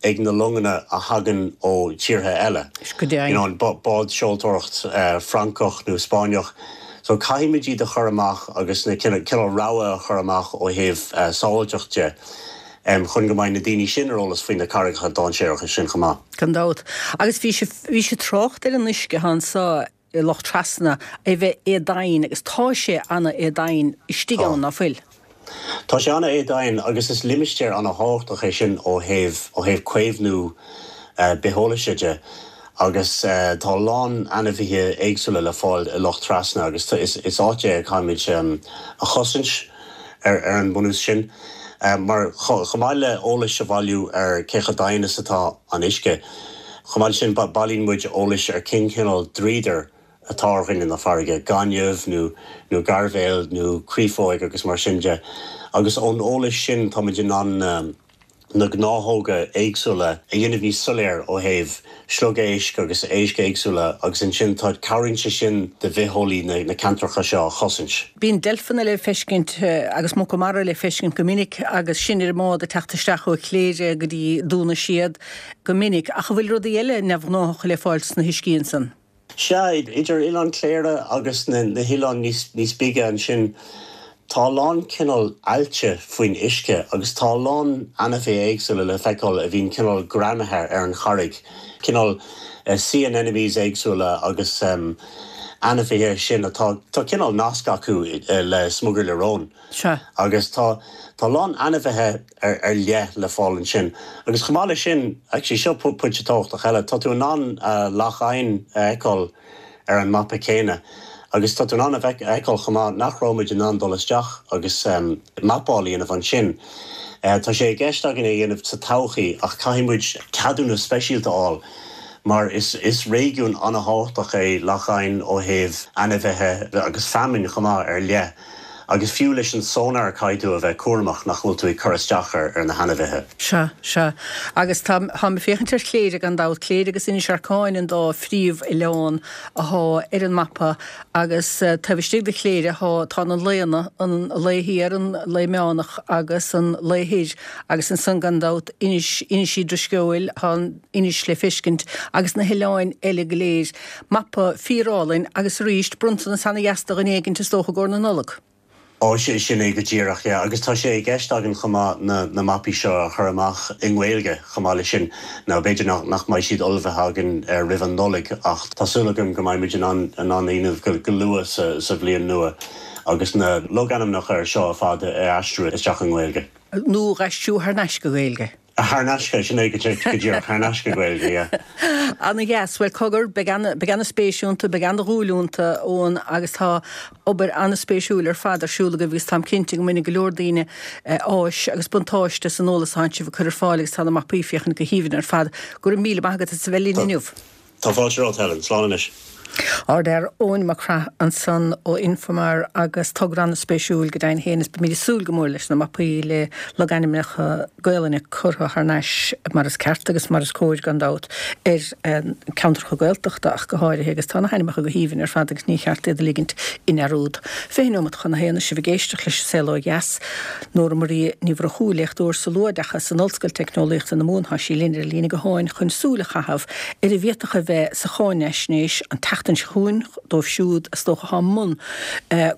[SPEAKER 4] ag na longanna a thagann ó tíortha eile,
[SPEAKER 1] Go
[SPEAKER 4] you know,
[SPEAKER 1] deimhin.
[SPEAKER 4] bád seoltóireacht Francach nó Spáinneach. So caithfimid iad a chur amach agus na cineál rabhadh a chur amach ó thaobh sábháilteacht de chun go mbeidh na daoine sin ar eolas faoi na carraigeacha dainséaracha sin chomh maith.
[SPEAKER 1] Gan dabht. Agus bhí sé, bhí sé trácht ar an uisce atá anso i Loch Trasna é bheith éadomhain agus tá sé ana-éadomhain istigh
[SPEAKER 4] Tá.
[SPEAKER 1] ann, ná fuil?
[SPEAKER 4] Tá sé ana-éadomhain agus is limistéar ana-thábhachtach é sin ó thaobh, ó thaobh caomhnú bitheolaise de agus tá a lán ainmhithe éagsúla le fáil i Loch Trasna agus is, is áit é a chaithfimid a chosaint ar, ar an mbunús sin. Mar chomh maith le eolais a bhailiú ar cé chomh domhain is atá an uisce, chomh maith leis sin bailíonn muid eolais ar cén cineál dríodar. atá ar ghoinne na farraige, gaineamh nó nó gairbhéal nó créafóig agus mar sin de, agus ón eolas sin táimid in ann na gnáthóga éagsúla a dhéanamh níos soiléir ó thaobh sliogéisc agus éisc éagsúla agus ansin tá cabhraíonn sé sin do bhitheolaí na ceantracha seo a chosaint.
[SPEAKER 1] Bíonn deilfeanna le feiscint agus muca mara le feiscint go minic agus sinn ar an mbád ag teacht isteach ó Chléire go dtí Dún na Séad go minic. Ach an bhfuil rudaí eile neamhghnáthacha le fáil sna huiscí ansan?
[SPEAKER 4] Sea, idir Oileán Chléire agus na hoileáin níos bige ansin, tá a lán cineál aillte faoin uisce agus tá a lán ainmhithe éagsúla le feiceáil a bhíonn cineál greamaithe ar an charraig, cineál sea anemones éagsúla agus ainmhithe sin atá, tá cineál nasc acu le smugairle róin.
[SPEAKER 1] Sea.
[SPEAKER 4] Agus tá, tá a lán ainmhithe ar, ar leith le fáil ansin. Agus chomh maith leis sin, actually seo pointe tábhachtach eile, tá tú in ann Loch Eidhin a fheiceáil ar an mapa céanna. Agus tá tú in ann a fheiceáil chomh maith nach raibh muid in ann dul isteach agus mapáil a dhéanamh ansin. Tá sé i gceist againn é a dhéanamh sa todhchaí ach caithfidh muid ceadúnas speisialta a fháil mar is is réigiún an-thábhachtach é Loch Eidhin ó thaobh ainmhithe agus feamainn chomh maith ar leith. Agus fiú leis an sonar caithfidh tú a bheith cúramach nach bhfuil tú ag cur isteach ar na hainmhithe.
[SPEAKER 1] Sea, sea. Agus tá, táim ag féachaint ar Chléire gan dabht, Cléire agus Inis Arcáin an dá phríomh-oileán athá ar an mapa agus taobh istigh de Chléire thá, tá na Laonna, an Lao Thiar, an Lao Meánach agus an Lao Thoir agus ansan gan dabht Inis, Inis Uí Drisceoil, thá an Inis le feiscint agus na hoileáin eile go léir. Mapa fíorálainn agus arís, bronntanas ana-dheas do dhuine éigint is dócha i gcomhair na Nollag.
[SPEAKER 4] Ó, sin é go díreach, yeah. Agus tá sé i gceist againn chomh maith na na mapaí seo a chur amach i nGaeilge chomh maith leis sin. Now b'fhéidir nach nach mbeidh siad ullmhaithe againn roimh an Nollaig ach tá súil agam go mbeidh muid in ann in ann a dhéanamh go go luath sa sa bhliain nua agus na logainmneacha ar seo ar fad a aistriú isteach i nGaeilge.
[SPEAKER 1] Nó a aistriú thar n-ais go Gaeilge.
[SPEAKER 4] Thar n-ais, sin é go díreach, thar n-ais go Gaeilge, yeah.
[SPEAKER 1] Ana-dheas. Bhuel, cogar, beidh ana, beidh ana-spéis iontu, beidh ana-dhúil iontu, Eoin, agus tá obair ana-spéisiúil ar fad ar siúl agaibh agus táim cinnte go mbainfidh go leor daoine áis agus buntáiste as an eolas atánn sibh ag cur ar fáil agus tá na mapaí ag féachaint go haoibhinn ar fad. Go raibh míle maith agat as a bheith linn inniu.
[SPEAKER 4] Tá fáilte romhat, Helen. Slán anois.
[SPEAKER 1] Ardfhear Eoin Mac Craith ansan ó Infomar agus togra an-spéisiúil go deimhin féin is beimid ag súil go mór leis na mapaí le logainmneacha Gaolainne curtha thar n-ais mar is ceart agus mar is cóir gan dabht ar ceantracha Gaeltachta ach go háirithe agus tá na hainmneacha go haoibhinn ar fad agus ní cheart iad a ligint i ndearúd. 20 neomat chun a haon is sibh ag éisteacht leis An Saol Ó Dheas. Nóra Marie Ní Mhurchú, léachtóir sa luathoideachas in Ollscoil Teicneolaíochta na Mumhan, tá sí linn ar an líne gutháin chun súil a chaitheamh ar a bhféadfadh a bheith sa cháinaisnéis an tseachtain seo chugainn dóibh siúd is dócha atá i mbun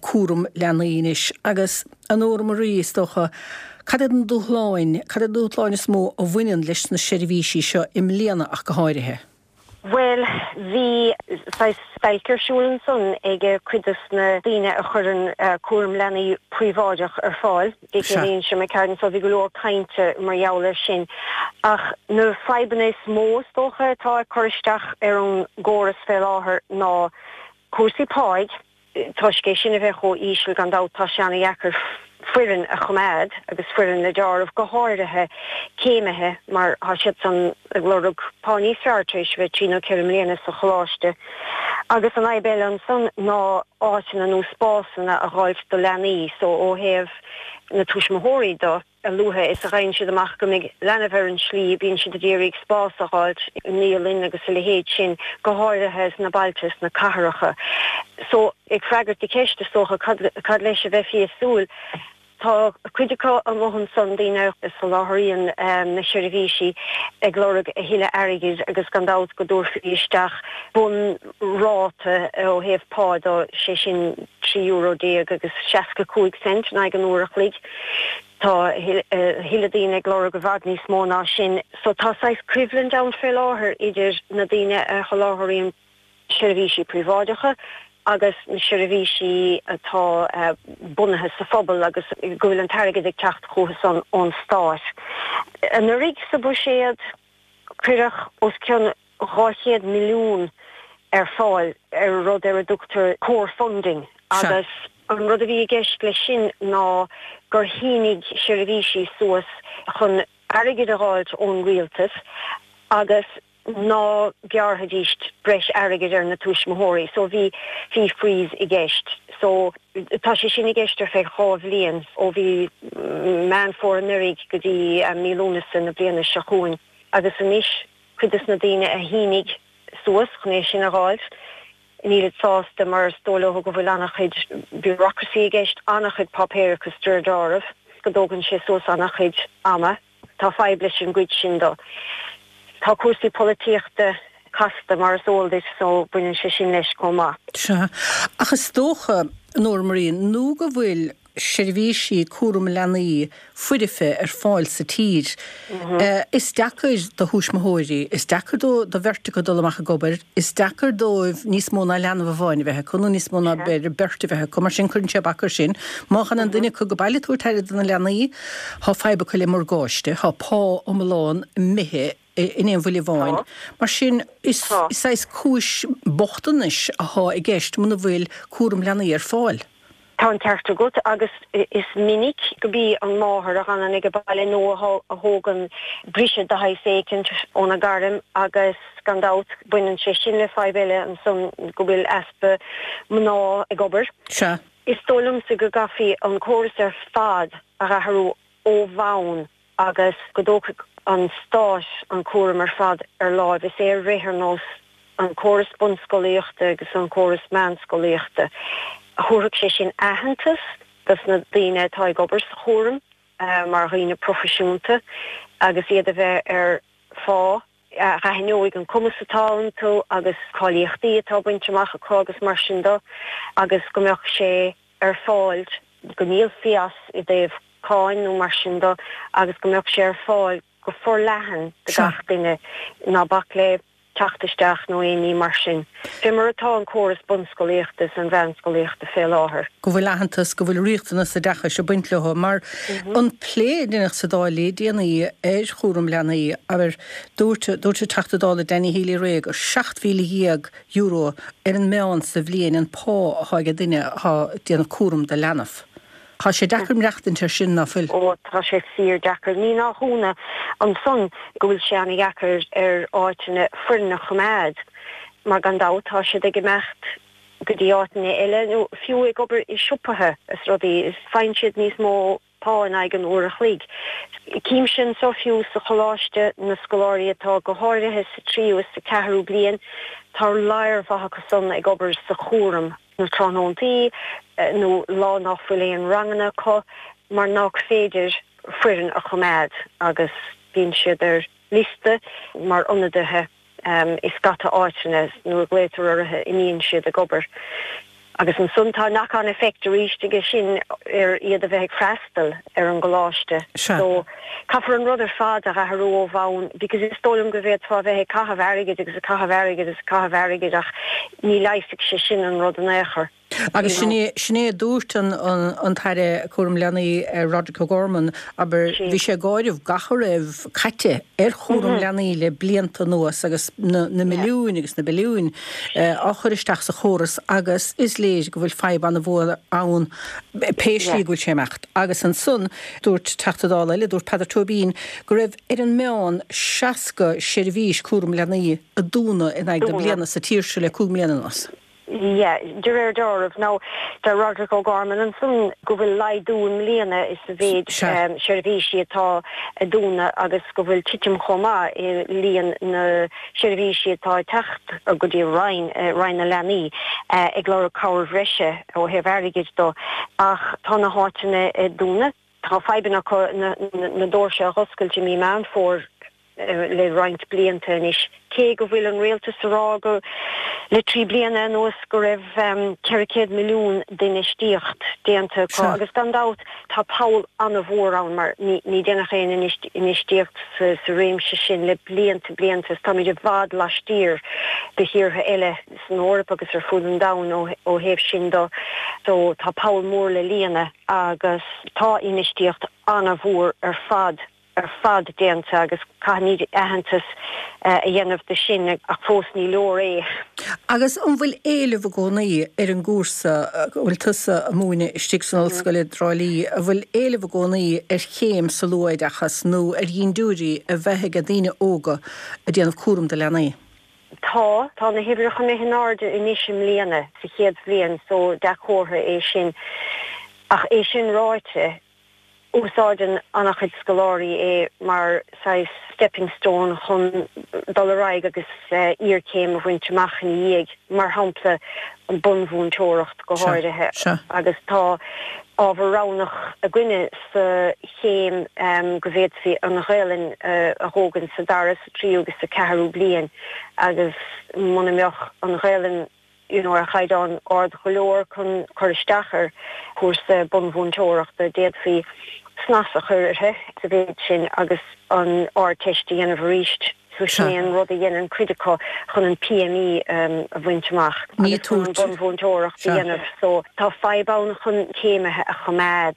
[SPEAKER 1] cúram leanaí anois. Agus, a Nóra Marie, is dócha, cad iad na dúshláin, cad iad na dúshláin is mó a bhaineann leis na seirbhísí seo i mbliana ach go háirithe?
[SPEAKER 5] Bhuel, bhí saghas stailc ar siúl ansan ag cuid dos na daoine a chuireann cúram leanaí príobháideach ar fáil, i nDéise McCartan, so bhí go leor cainte mar gheall air sin. Ach na fadhbanna is mó is dócha atá ag cur isteach ar an gcóras fé láthair ná cúrsaí páigh, Toisc é sin a bheith chomh íseal, gan dabht, tá sé ana-dheacair foireann a choimeád agus foireann le deáramh, go háirithe céimithe, mar tá siadsan ag lorg pá níos fearr tar éis a bheith trí nó ceithre mbliana sa choláiste. Agus an fhadhb eile ansan ná áiteanna nó spásanna a dh'fháilt do leanaí, so ó thaobh na tuismitheoirí do. A luaithe is a gheibheann siad amach go mbeidh leanbh ar an slí, bíonn siad ag iarraidh spás a dh'fháilt i naíolann agus a leithéid sin, go háirithe sna bailte, sna cathracha. So, ag freagairt do cheist, is dócha, cad, cad leis a bheifí ag súil? Tá cuid acu amuigh ansan, daoine a soláthraíonn na seirbhísí, ag lorg a thuilleadh airgid agus gan dabht go dtabharfaí isteach bunráta ó thaobh pá de, sé sin €13 euro agus 65 cent in aghaidh an uair a chloig. Tá a thuilleadh daoine ag lorg i bhfad níos mó ná sin. So tá saghas coimhlint ann fé láthair idir na daoine a sholáthraíonn seirbhísí príobháideacha agus na seirbhísí atá bunaithe sa phobal agus go bhfuil an t-airgead ag teacht chucu san ón stát. Anuraidh sa bhuiséad cuireadh os cionn 200 milliún ar fáil ar rud ar a dtugtar core funding agus an rud a bhí i gceist leis sin ná gur shínigh seirbhísí suas chun airgead a dh'fháilt ón rialtas agus. ná gearrfaidís breis airgid ar na tuismitheoirí so bhí fee freeze i gceist. So tá sé sin i gceist ar feadh 2 bhliain, ó mhí Meán Fómhair anuraidh go dtí mí Lúnasa na bliana seo chugainn. Agus anois cuid des na daoine a shínigh suas chun é sin a dh'fháilt, nílid sásta mar is dóigh leo go bhfuil an-chuid bureaucracy i gceist, an-chuid páipéarachas de réir dealraimh, go dtógann sé suas an-chuid ama. Tá fadhb leis an gcuid sin do. Tá cúrsaí polaitíochta casta, mar is eol duit, so baineann sé sin leis chomh maith.
[SPEAKER 1] Sea. Ach is dócha, Nóra Marie, nó go bhfuil seirbhísí cúram leanaí foirfe ar fáil sa tír, is deacair do thuismitheoirí, is deacair do do bheirt acu dul amach ag obair, is deacair dóibh níos mó ná leanbh amháin a bheith acu nó níos mó ná b'fhéidir beirt a bheith acu, mar sin cuireann sé bac air sin. Má fhanann duine acu go baile ag tabhairt aire do na leanaí, Thá fadhb acu le morgáiste, thá pá iomlán imithe in aon bhuille amháin. Mar sin, is saghas cúis bochtanais athá i gceist muna bhfuil cúram leanaí ar fáil.
[SPEAKER 5] Tá an ceart agat agus is minic go b'í an máthair a dh'fhanann ag baile nó a thógann briseadh de shaghas éicint óna gairm agus gan dabht baineann sé sin le fadhb eile ansan go bhfuil easpa mná ag obair.
[SPEAKER 1] Sea.
[SPEAKER 5] Is dóigh liomsa go gcaithfí an córas ar fad a dh'athrú ó bhonn agus go dtógfadh an stát an cúram ar fad ar láimh is é a rith ar nós an córas bunscolaíochta agus an córas meánscolaíochta. Thabharfadh sé sin aitheantas dos na daoine atá ag obair sa chúram mar dhaoine proifisiúnta agus iad a bheith ar phá a aithneoidh an cumas atá iontu agus cáilíochtaí atá bainte amach acu agus mar sin de agus go mbeadh sé ar fáil, go n-íocfaí as i dtaobh cáin nó mar sin de agus go mbeadh sé ar fáil go forleathan do gach duine, ná bac le teacht isteach nó aon ní mar sin. Fé mar atá an córas bunscolaíochta is an mheánscolaíochta fé láthair.
[SPEAKER 1] go bhfuil aitheantas, go bhfuil riachtanas oideachais ag baint leo, mar an plé a deineadh sa Dáil le déanaí ar chúram leanaí, abair, dúirt, dúirt an Teachta Dála Danny Healy-Rae gur €17,000 ar an meán sa bhliain an pá atá ag duine atá ag déanamh cúram do leanbh. Tá sé deacair maireachtaint ar sin, ná fuil?
[SPEAKER 5] Ó, tá sé fíor deacair. Ní nach ionadh ansan go bhfuil sé ana-dheacair ar áiteanna foireann a choimeád, mar gan dabht tá siad ag imeacht go dtí áiteanna eile, nó fiú ag obair i siopaithe is rudaí, is faigheann siad níos mó pá in aghaidh an uair a chloig. Címse anso fiú sa choláiste na scoláirí atá go háirithe sa tríú is sa ceathrú bliain, tá lear mhaith acu san ag obair sa chúram. na tráthnóntaí nó lá nach bhfuil aon ranganna acu mar nach féidir foireann a choimeád agus bíonn siad ar liosta mar ionadaithe i scata áiteanna nuair a ghlaotar orthu imíonn siad ag obair. Agus ansan tá knock on effect arís aige sin ar iad a bheith ag freastal ar an gcoláiste. So caithfear an rud ar fad a athrú ó bhonn because is dóigh liom go bhféadfá a bheith ag caitheamh airgid agus ag caitheamh airgid agus ag caitheamh airgid ach ní leigheasfaidh sé sin an rud in aon chor.
[SPEAKER 1] Agus sin é, sin é a dúirt an, an tAire Cúram Leanaí, Roderic O'Gorman, abair, bhí sé ag áireamh gach a raibh caite ar chúram leanaí le blianta anuas agus na, na milliúin agus na billiúin á chur isteach sa chóras agus is léir go bhfuil fadhb an-mhór ann pé slí go bhfuil sé ag imeacht. Agus ansan, dúirt Teachta Dála eile, dúirt Peadar Tóibín, go raibh ar an meán 60 seirbhís cúram leanaí a dúnadh in aghaidh na bliana sa tír seo le 5 mbliana anuas.
[SPEAKER 5] Yeah, de réir dealraimh. Now, deir Roderic O'Gorman ansan go bhfuil laghdú i mbliana sa mhéid seirbhísí atá ag dúnadh agus go bhfuil titim chomh maith i líon na seirbhísí atá ag teacht go dtí Roinn, Roinn na Leanaí, ag lorg cabhair bhreise ó thaobh airgid do. Ach tá na háiteanna ag dúnadh. Tá fadhbanna acu na doirse a dh'oscailt i mí Meán Fómhair le roinnt blianta anois, cé go bhfuil an rialtas a rá go le 3 bliana anuas go raibh 400 milliún d'infheistíocht déanta acu agus gan dabht tá poll an-mhór ann mar ní deineadh aon infheistíocht sa réimse sin le blianta blianta is táimid i bhfad laistiar de thíortha eile san Eoraip agus ar fud an domhain ó thaobh sin de so tá poll mór le líonadh. agus tá infheistíocht an-mhór ar fad. ar fad déanta agus caithfimid aitheantas a dhéanamh de sin ach fós ní leor é.
[SPEAKER 1] Agus an bhfuil éileamh i gcónaí ar an gcúrsa a bhfuil tusa a múineadh istigh san ollscoil i dTrá Lí, an bhfuil éileamh i gcónaí ar chéim sa luathoideachas nó ar dhintiúirí a bheith ag daoine óga ag déanamh cúram do leanaí?
[SPEAKER 5] Tá. Tá na huimhreacha imithe in airde anois i mbliana, sa chéad bhliain, so dea-chomhartha é sin. Ach é sin ráite, úsáideann an-chuid scoláirí é mar saghas stepping stone chun dul ar aghaidh agus iarchéim a bhaint amach ina dhiaidh, mar shampla an bunmhúinteoireacht go háirithe. Agus tá ábhar roghnach againne sa chéim go bhféadfaí an Ghaelainn a thógaint sa dara, sa tríú agus sa ceathrú bliain agus muna mbeadh an Ghaelainn you know ar chaighdeán ard go leor chun cur isteach ar chúrsa bunmhúinteoireachta, d'fhéadfaí snas a chur uirthi sa mhéid sin agus an Ardteist a dhéanamh arís. So sin é an rud a dhéanann cuid acu chun an PME a bhaint amach agus chun an bunmhúinteoireacht a dhéanamh. So tá fadhb ann chun céimithe a choimeád.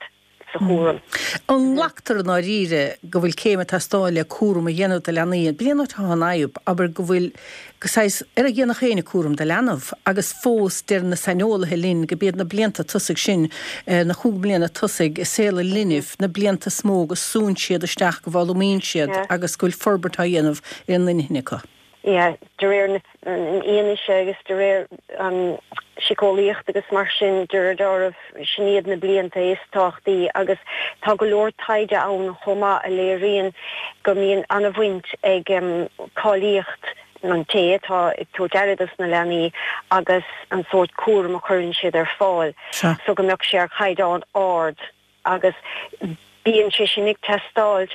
[SPEAKER 5] sa chúram.
[SPEAKER 1] An nglactar i ndáiríre go bhfuil céim ag teastáil le cúram a dhéanamh do leanaí? B'in é an áit atá an fhadhb, abair go bhfuil go saghas, ar a dhéanfadh éinne cúram do leanbh agus fós deir na saineolaithe linn go b'iad na blianta tosaigh sin, na chúig mbliana tosaigh i saol an linbh, na blianta is mó go súnn siad isteach, go bhfoghlaimíonn siad agus go bhfuil forbairt á dhéanamh ar an inchinn acu.
[SPEAKER 5] Yeah, de réir na fhianaise agus de réir an siceolaíocht agus mar sin, de réir dealraimh, sin iad na blianta is tábhachtaí agus tá go leor taighde ann chomh maith a léiríonn go mbíonn an-bhaint ag cáilíocht an té atá ag tabhairt aire dos na leanaí agus an sórt cúraim a chuireann siad ar fáil so go mbeadh sé ar chaighdeán ard agus bíonn sé sin ag teastáilt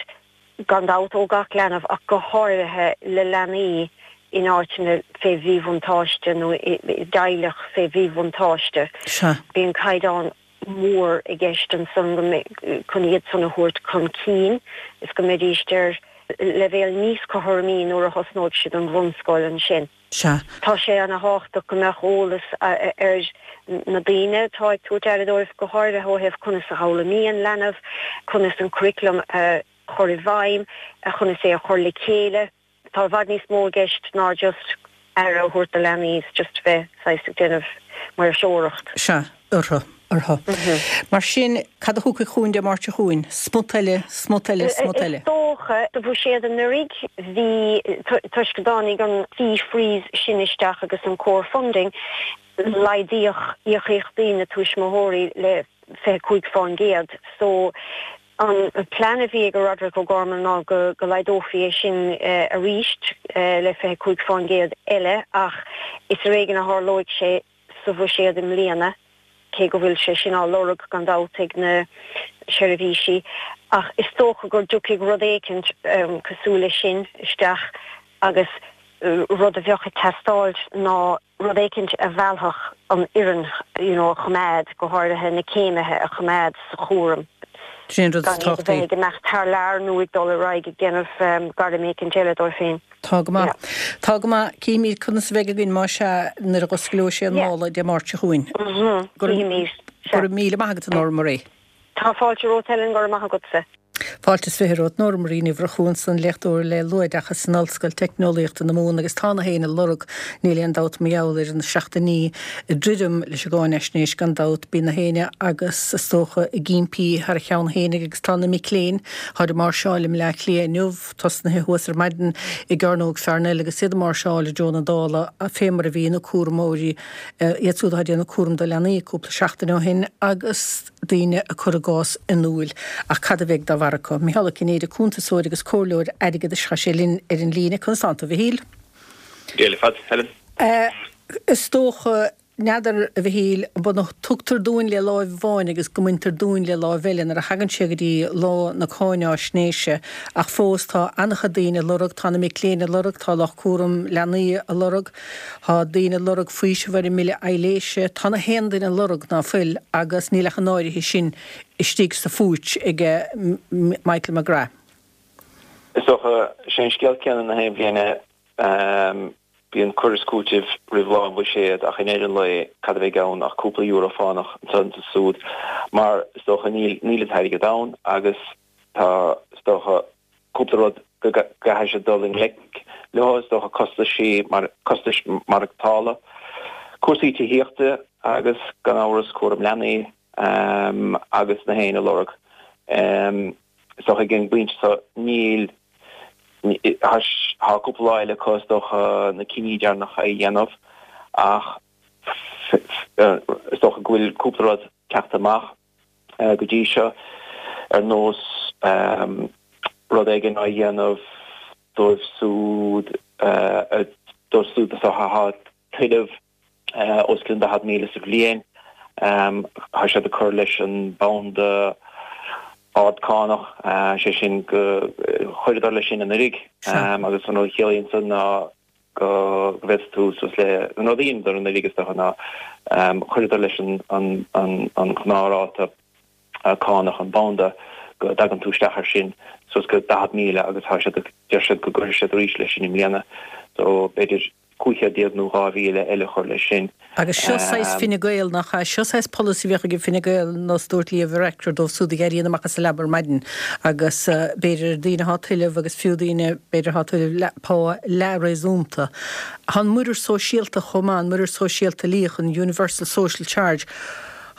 [SPEAKER 5] gan dabht ó gach leanbh ach go háirithe le leanaí in áiteanna fé mhíbhuntáiste nó i dteaghlach fé mhíbhuntáiste. Bíonn caighdeán mór i gceist ansan go chun iad san a thabhairt chun cinn is go mbeidís ar leibhéal níos cothromaí nuair a thosnóidh siad an bhunscoil ansin.
[SPEAKER 1] Sea.
[SPEAKER 5] Tá sé ana thábhachtach go mbeadh eolas ar na daoine atá ag tabhairt aire dóibh, go háirithe ó thaobh conas a fhoghlaimíonn leanbh, conas an curriculum a chur i bhfeidhm, conas é a chur le chéile. Tá i bhfad níos mó i gceist ná just aire a thabhairt do leanaí is just bheith saghas ag déanamh maoirseoireacht.
[SPEAKER 1] Sea. Orthu. Orthu. Mar sin, cad a thiocfaidh chugainn Dé Máirt seo chugainn? Smut eile, smut eile, smut eile.
[SPEAKER 5] Is dócha, sa bhuiséad anuraidh, bhí, toisc go dtáinig an fee freeze sin isteach agus an core funding, laghdaíodh íocaíochtaí na tuismitheoirí le 25%. So, an plean a bhí ag Roderic O'Gorman ná go laghdófaí é sin arís le 25% eile ach is ar éigean a tharlóidh sé. sa bhuiséad i mbliana, cé go bhfuil sé sin á lorg gan dabht ag na seirbhísí, ach is dócha go dtiocfaidh rud éicint cosúil leis sin isteach agus rud a bheadh ag teastáilt ná rud éicint a mheallfadh an fhoireann you know a choimeád, go háirithe na céimithe a choimeád sa chúram.
[SPEAKER 1] Sin an rud is
[SPEAKER 5] Gan iad a
[SPEAKER 1] tábhachtaí.
[SPEAKER 5] bheith ag imeacht thar lear nó ag dul ar aghaidh ag déanamh gairm éicint eile dóibh féin.
[SPEAKER 1] Tá go maith. Tá go maith. Cífimid conas a bheidh againn, más ea, nuair a dh'osclóidh sé an mála Dé Máirt seo chugainn.
[SPEAKER 5] Go
[SPEAKER 1] raibh míle maith agat, a Nóra Marie.
[SPEAKER 5] Tá fáilte romhat, Helen, go raibh maith agatsa.
[SPEAKER 1] Fáilte is 20 romhat, Nóra Marie Ní Mhurchú ansan, léachtóir le luathoideachas in Ollscoil Teicneolaíochta na Mumhan agus tá na héinne ag lorg, níl aon dabht mar gheall ar an seachtainí ag druidim leis an gcáinaisnéis gan dabht, bíonn na héinne agus is dócha ag impí thar a cheann fhéinig agus tá na mic léinn, tháid ag máirseáil i mBleá Cliath inniu, Tosnaithe thuas ar maidin i gCearnóg Pharnell agus iad ag máirseáil i dtreo na Dála fé mar a bhí na cúramóirí, iad siúd atá ag déanamh cúram do leanaí, cúpla seachtain ó shin agus daoine ag cur a gcás in iúil. Ach cad a bheidh dá bharr acu? Micheál Ó Cinnéide, cuntasóir agus comhairleoir airgeadais, tá sé linn ar an líne. Conas tánn tú, a Mhichíl?
[SPEAKER 6] Dia leat, Helen.
[SPEAKER 1] Is dócha N'fheadar, a Mhichíl, an b'ionann tugtar dúinn le láimh amháin agus go mbaintear dúinn le láimh eile nuair a thagann sé go dtí lá na cáináisnéise ach fós tá an-chuid daoine ag lorg, tá na mic léinn ag lorg, tá lucht cúram leanaí ag lorg, tá daoine ag lorg faoiseamh ar an mbille aibhléise, tá na haon duine ag lorg ná fuil agus níl ach an áirithe sin istigh sa phúits ag Michael McGrath.
[SPEAKER 6] Is dócha, sé an scéal céanna na haon bhliain é. Bíonn cur is cúiteamh roimh lá an bhuiséid ach i ndeireadh an lae cad a bheidh ann ach cúpla euro fánach anseo is ansúd mar is dócha níl níl an t-airgead ann agus tá is dócha. Cúpla rud go gcaithfidh siad dul i ngleic leo, is dócha, costaisí mar, costais maireachtála, cúrsaí tithíochta agus, gan amhras, cúram leanaí agus na haon a lorg. Is dócha ag an bpointe seo níl, tá cúpla lá eile acu is dócha na cinní deireanacha a dhéanamh ach is dócha go bhfuil cúpla rud teacht amach. go dtí seo, ar nós rud éigin á dhéanamh dóibh siúd dóibh siúd atá ag tuilleamh os cionn 40,000 sa bhliain. Tá siad ag cur leis an banda ard cánach, sé sin go chuireadar leis sin anuraidh agus an rud a chiallaíonn san ná go bhféadfadh tú suas le, an rud a dheineadar anuraidh is dócha ná chuireadar leis an ghnáthráta cánach, an banda, go dtagann tú isteach air sin suas go 40,000 agus tá siad, deir siad go gcuirfidh siad arís leis sin i mbliana. So b'fhéidir 500 nó 2,000 eile a chur leis sin.
[SPEAKER 1] Agus seo saghas Fine Gael, nach ea? Seo saghas polasaí a bheadh ag Fine Gael nós dúirt Leo Varadkar dóibh siúd a éiríonn amach as a leaba ar maidin agus b'fhéidir daoine atá ag tuilleamh agus fiú daoine b'fhéidir atá ag tuilleamh pá leath-réasúnta. Tá an muirear sóisialta chomh maith, an muirear sóisialta uilíoch, an Universal Social Charge.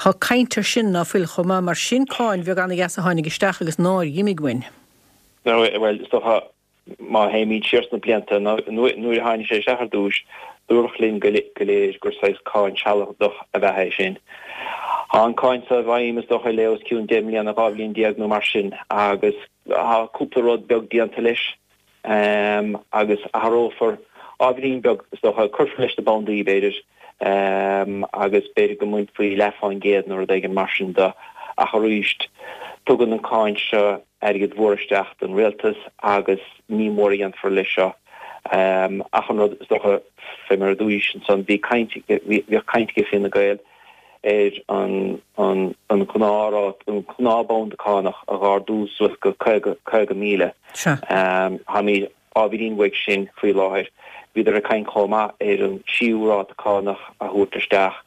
[SPEAKER 1] Tá caint air sin ná fuil chomh maith mar sin cáin bheag ana-dheas a tháinig isteach agus nár dh'imigh uainn.
[SPEAKER 6] Bhuel, is dócha Má théimid siar sna blianta, nuair a tháinig sé isteach ar dtús, dúradh linn go léir gur saghas cáin sealadach ab ea é sin. Tá an cáin seo i bhfeidhm, is dócha, le os cionn 10 mbliana, 12 bhliain nó mar sin, agus tá cúpla rud beag déanta leis, agus athrófar ábhairín beag, is dócha, cuirfear leis na bandaí, b'fhéidir, agus b'fhéidir go mbainfí leath fán gcéad nó rud éigin mar sin de, ach arís, tugann an cáin seo airgead mhór isteach don rialtas agus ní mór a dhéanfar leis seo. Ach an rud, is dócha, fé mar a dúraís ansan, bhí caint, bhíodh caint ag Fine Gael ar an an an ghnáthráta, an gnáthbhanda cánach a dh'ardú suas go 50, 50,000. Táimid ábhairín uaidh sin faoi láthair. Bhíodar ag caint chomh maith ar an tríú ráta cánach a thabhairt isteach.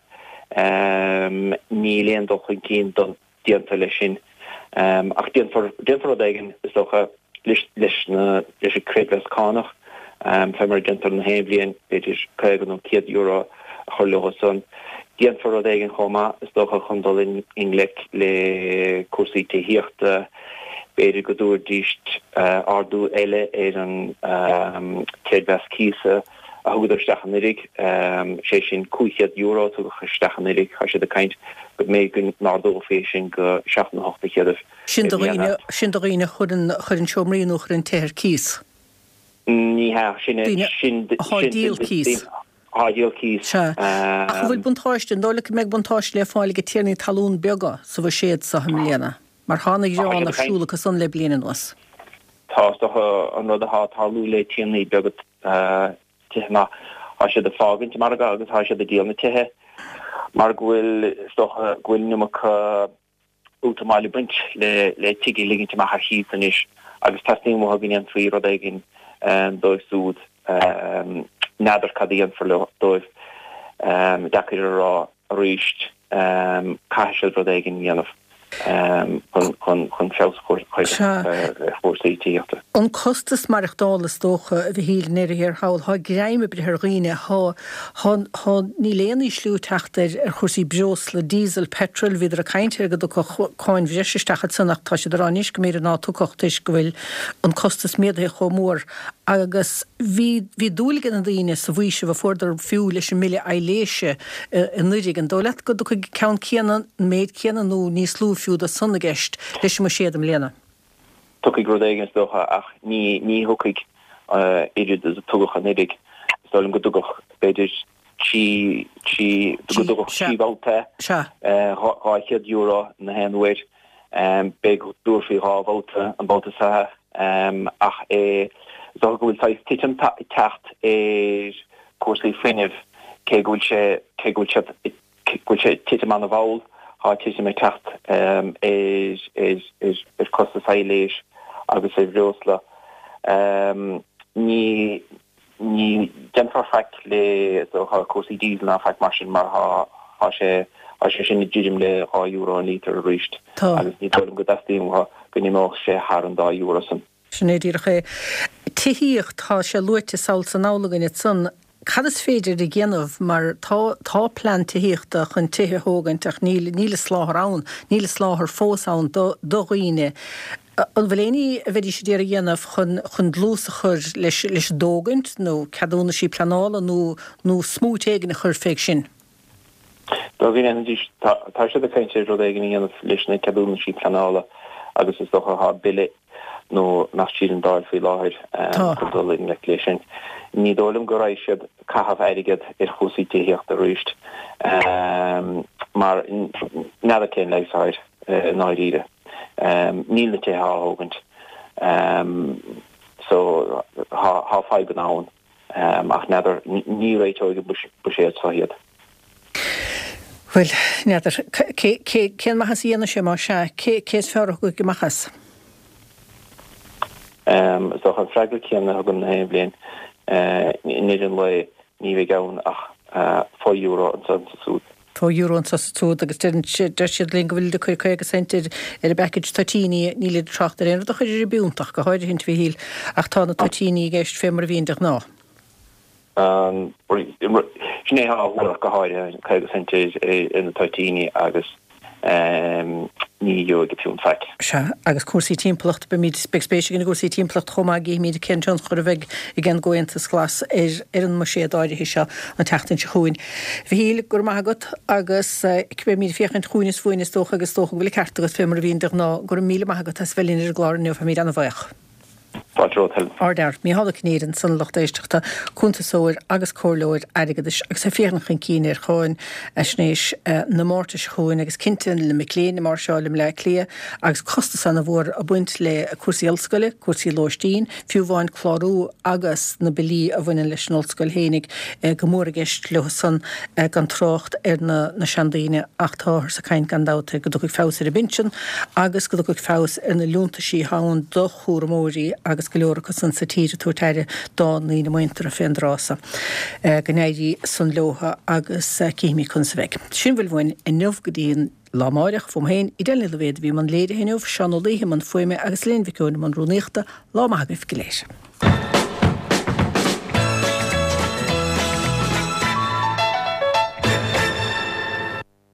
[SPEAKER 6] Níl aon dul chun cinn don. déanta leis sin. Ach déanfar, déanfar rud éigin, is dócha, leis, leis na, leis an creidmheas cánach, fé mar a déantar na haon bhliain, b'fhéidir €50 nó €100 a chur leo san. Déanfar rud éigin chomh maith, is dócha, chun dul i ngleic le cúrsaí tithíochta, b'fhéidir go dtabharfaidís ardú eile ar an creidmheas cíosa, a thugadar isteach anuraidh, sé sin €500 a tugadh isteach anuraidh, tá siad ag caint go mb'fhéidir go n-ardófaí é sin go 7 nó 800
[SPEAKER 1] Sin do dhaoine, sin do dhaoine a chuireann, a chuireann seomraí nó a chuireann tithe ar cíos.
[SPEAKER 6] Ní hea, sin,
[SPEAKER 1] Daoine
[SPEAKER 6] sin,
[SPEAKER 1] atá ag
[SPEAKER 6] sin,
[SPEAKER 1] díol cíos.
[SPEAKER 6] Atá ag díol cíos.
[SPEAKER 1] Sea. Ach an bhfuil buntáiste, an dóigh leat go mbeidh buntáiste le fáil ag tiarnaí talún beaga sa bhuiséad seo i mbliana? Mar tá ana-ghearán ar siúl acu san le bliain anuas.
[SPEAKER 6] Tá, is dócha, an rud atá ag tarlú le tiarnaí beaga tithe ná tá siad ag fágaint an margadh agus tá siad ag díol na tithe mar go bhfuil, is dócha, go bhfuil an iomarca útamáil ag baint le le tigh a ligint amach ar chíos anois agus teastaíonn uathu go ndéanfaí rud éigin dóibh siúd. N'fheadar cad a dhéanfar leo, dóibh. Deacair a rá. Arís, caithfidh siad rud éigin a dhéanamh chun feabhas a chur ar chúrsaí tithíochta.
[SPEAKER 1] An costas maireachtála is dócha, a Mhichíl, i ndeireadh thiar thall, tá greim ag breith ar dhaoine, tá, tá, tá, níl aon ísliú ag teacht ar, ar chúrsaí breosla, diesel, petrol, bhíodar ag caint ar go dtiocfadh cáin bhreise isteach ansan ach tá siad ag rá anois go mb'fhéidir ná tiocfadh toisc go bhfuil an costas méadaithe chomh mór agus bhí, bhí dúil ag na daoine sa bhfaoiseamh a fuaireadar fiú leis an mbille aibhléise anuraidh. An dóigh leat go dtiocfaidh an ceann céanna, an méid céanna nó níos lú fiú de san i gceist leis an mbuiséad i mbliana?
[SPEAKER 6] Tiocfaidh rud éigin is dócha ach ní, ní thiocfaidh oiread is a tugadh anuraidh. Is dóigh liom go dtugadh b'fhéidir 3, 3, go dtugadh 3 bhabhta €200 na haon uair. B'fhéidir go dtabharfaí 2 bhabhta an babhta seo ach is dócha go bhfuil saghas titim ag teacht ar chúrsaí fuinnimh cé go bhfuil sé, cé go bhfuil siad, go bhfuil sé ag titim an-mhall, tá titim ag teacht ar, ar, ar chostas aibhléis agus ar bhreosla. Ní. Ní déanfar faic le cúrsaí diesel ná faic mar sin mar tá sé tá sé sin ag druidim le €2 an lítear arís agus ní dóigh liom go dteastaíonn uathu go n-imeodh sé thar an €2 san.
[SPEAKER 1] Sin é díreach é. Tithíocht, tá sé luaite sall is anall againn ansan. Cad is féidir a dhéanamh mar tá, tá plean tithíochta chun tithe a thógaint ach níl, níl an soláthar ann, níl an soláthar fós ann do, do dhaoine. An bhfuil aon ní a bheidís ag iarraidh a dhéanamh chun, chun dlús a chur leis, leis an dtógaint nó ceadúnaisí pleanála nó, nó smúit éigin a chur fé sin?
[SPEAKER 6] Dá ndéanfaidís, tá siad ag caint ar rud éigin a dhéanamh leis na ceadúnaisí pleanála agus is dócha tá bille nó nach tríd an Dáil faoi láthair chun dul i ngleic leis sin. Ní dóigh liom go raghaidh siad caitheamh airgead ar chúrsaí tithíochta arís mar n'fheadar cén leigheas atá air i ndáiríre. Níl na tithe á thógaint so tá fadhbanna ann. Ach n'fheadar, ní réiteoidh an buiséad seo iad.
[SPEAKER 1] Bhuel, n'fheadar. Cén maitheas a dhéanfaidh sé, más ea? Cé is fearr a thiocfaidh amach as?
[SPEAKER 6] Is dócha an freagra céanna a thugaim na haon bhliain. I ndeireadh an lae, ní bheidh ann ach fo-euro anso is ansúd.
[SPEAKER 1] Fo-euro anso is ansúd agus deir siad linn go bhfuilid ag cur 50 cent ar an bpackage toitíní, nílid ag trácht ar aon rud a chur ar an bpiúnt ach go háirithint, a Mhichíl, ach tá na toitíní i gceist fé mar a bhíonn de ghnáth.
[SPEAKER 6] Sin é atá á thuar ach go háirithe, 50 cent ar na toitíní agus ní gheobhaidh an piúnt faic.
[SPEAKER 1] Sea, agus cúrsaí timpeallachta, beimid, beidh spéis againn i gcúrsaí timpeallachta chomh maith, gcífimid cén tionchar a bheidh ag an gComhaontas Glas ar ar an mbuiséad áirithe seo an tseachtain seo chugainn. Mhichíl, go raibh maith agat agus beimid ag féachaint chugainn is uainn is dócha agus is dócha go bhfuil an ceart agat fé mar a bhíonn de ghnáth. Go raibh míle maith agat as bheith linn ar an gclár inniu, táimid ana-bhaoch.
[SPEAKER 6] Fáilte romhat, Helen.
[SPEAKER 1] Ardfhear, Mícheál Ó Cinnéide ansan, lucht éisteachta, cuntasóir agus comhairleoir airgeadais agus é ag féachaint chun cinn ar cháinaisnéis na Márta seo chugainn agus cinnte le mic léinn ag máirseáil i mBleá Cliath agus costas ana-mhór ag baint le cúrsaí ollscoile, cúrsaí lóistín, fiú amháin clárú agus na billí a bhaineann leis an ollscoil fhéinig go mór i gceist leo san gan trácht ar na na seandaoine ach táthar ag caint gan dabht ar go dtiocfaidh feabhas ar an bpinsean agus go dtiocfaidh feabhas ar na liúntaisí atá ann do chúramóirí agus go leor acu san sa tír ag tabhairt aire dá ndaoine muinteartha fén dtráth so. Go n-éirí san leotha agus cífimid conas a bheidh. Sin a bhfuil uainn inniu go dtí an lá amáireach. Fúm féin, Edel Ní Loibhéad a bhí i mbun léirithe inniu, Seán Ó Laoithe i mbun fuaime agus Elaine Mhic Eoin i mbun rúnaíochta. Lá maith agaibh go léir.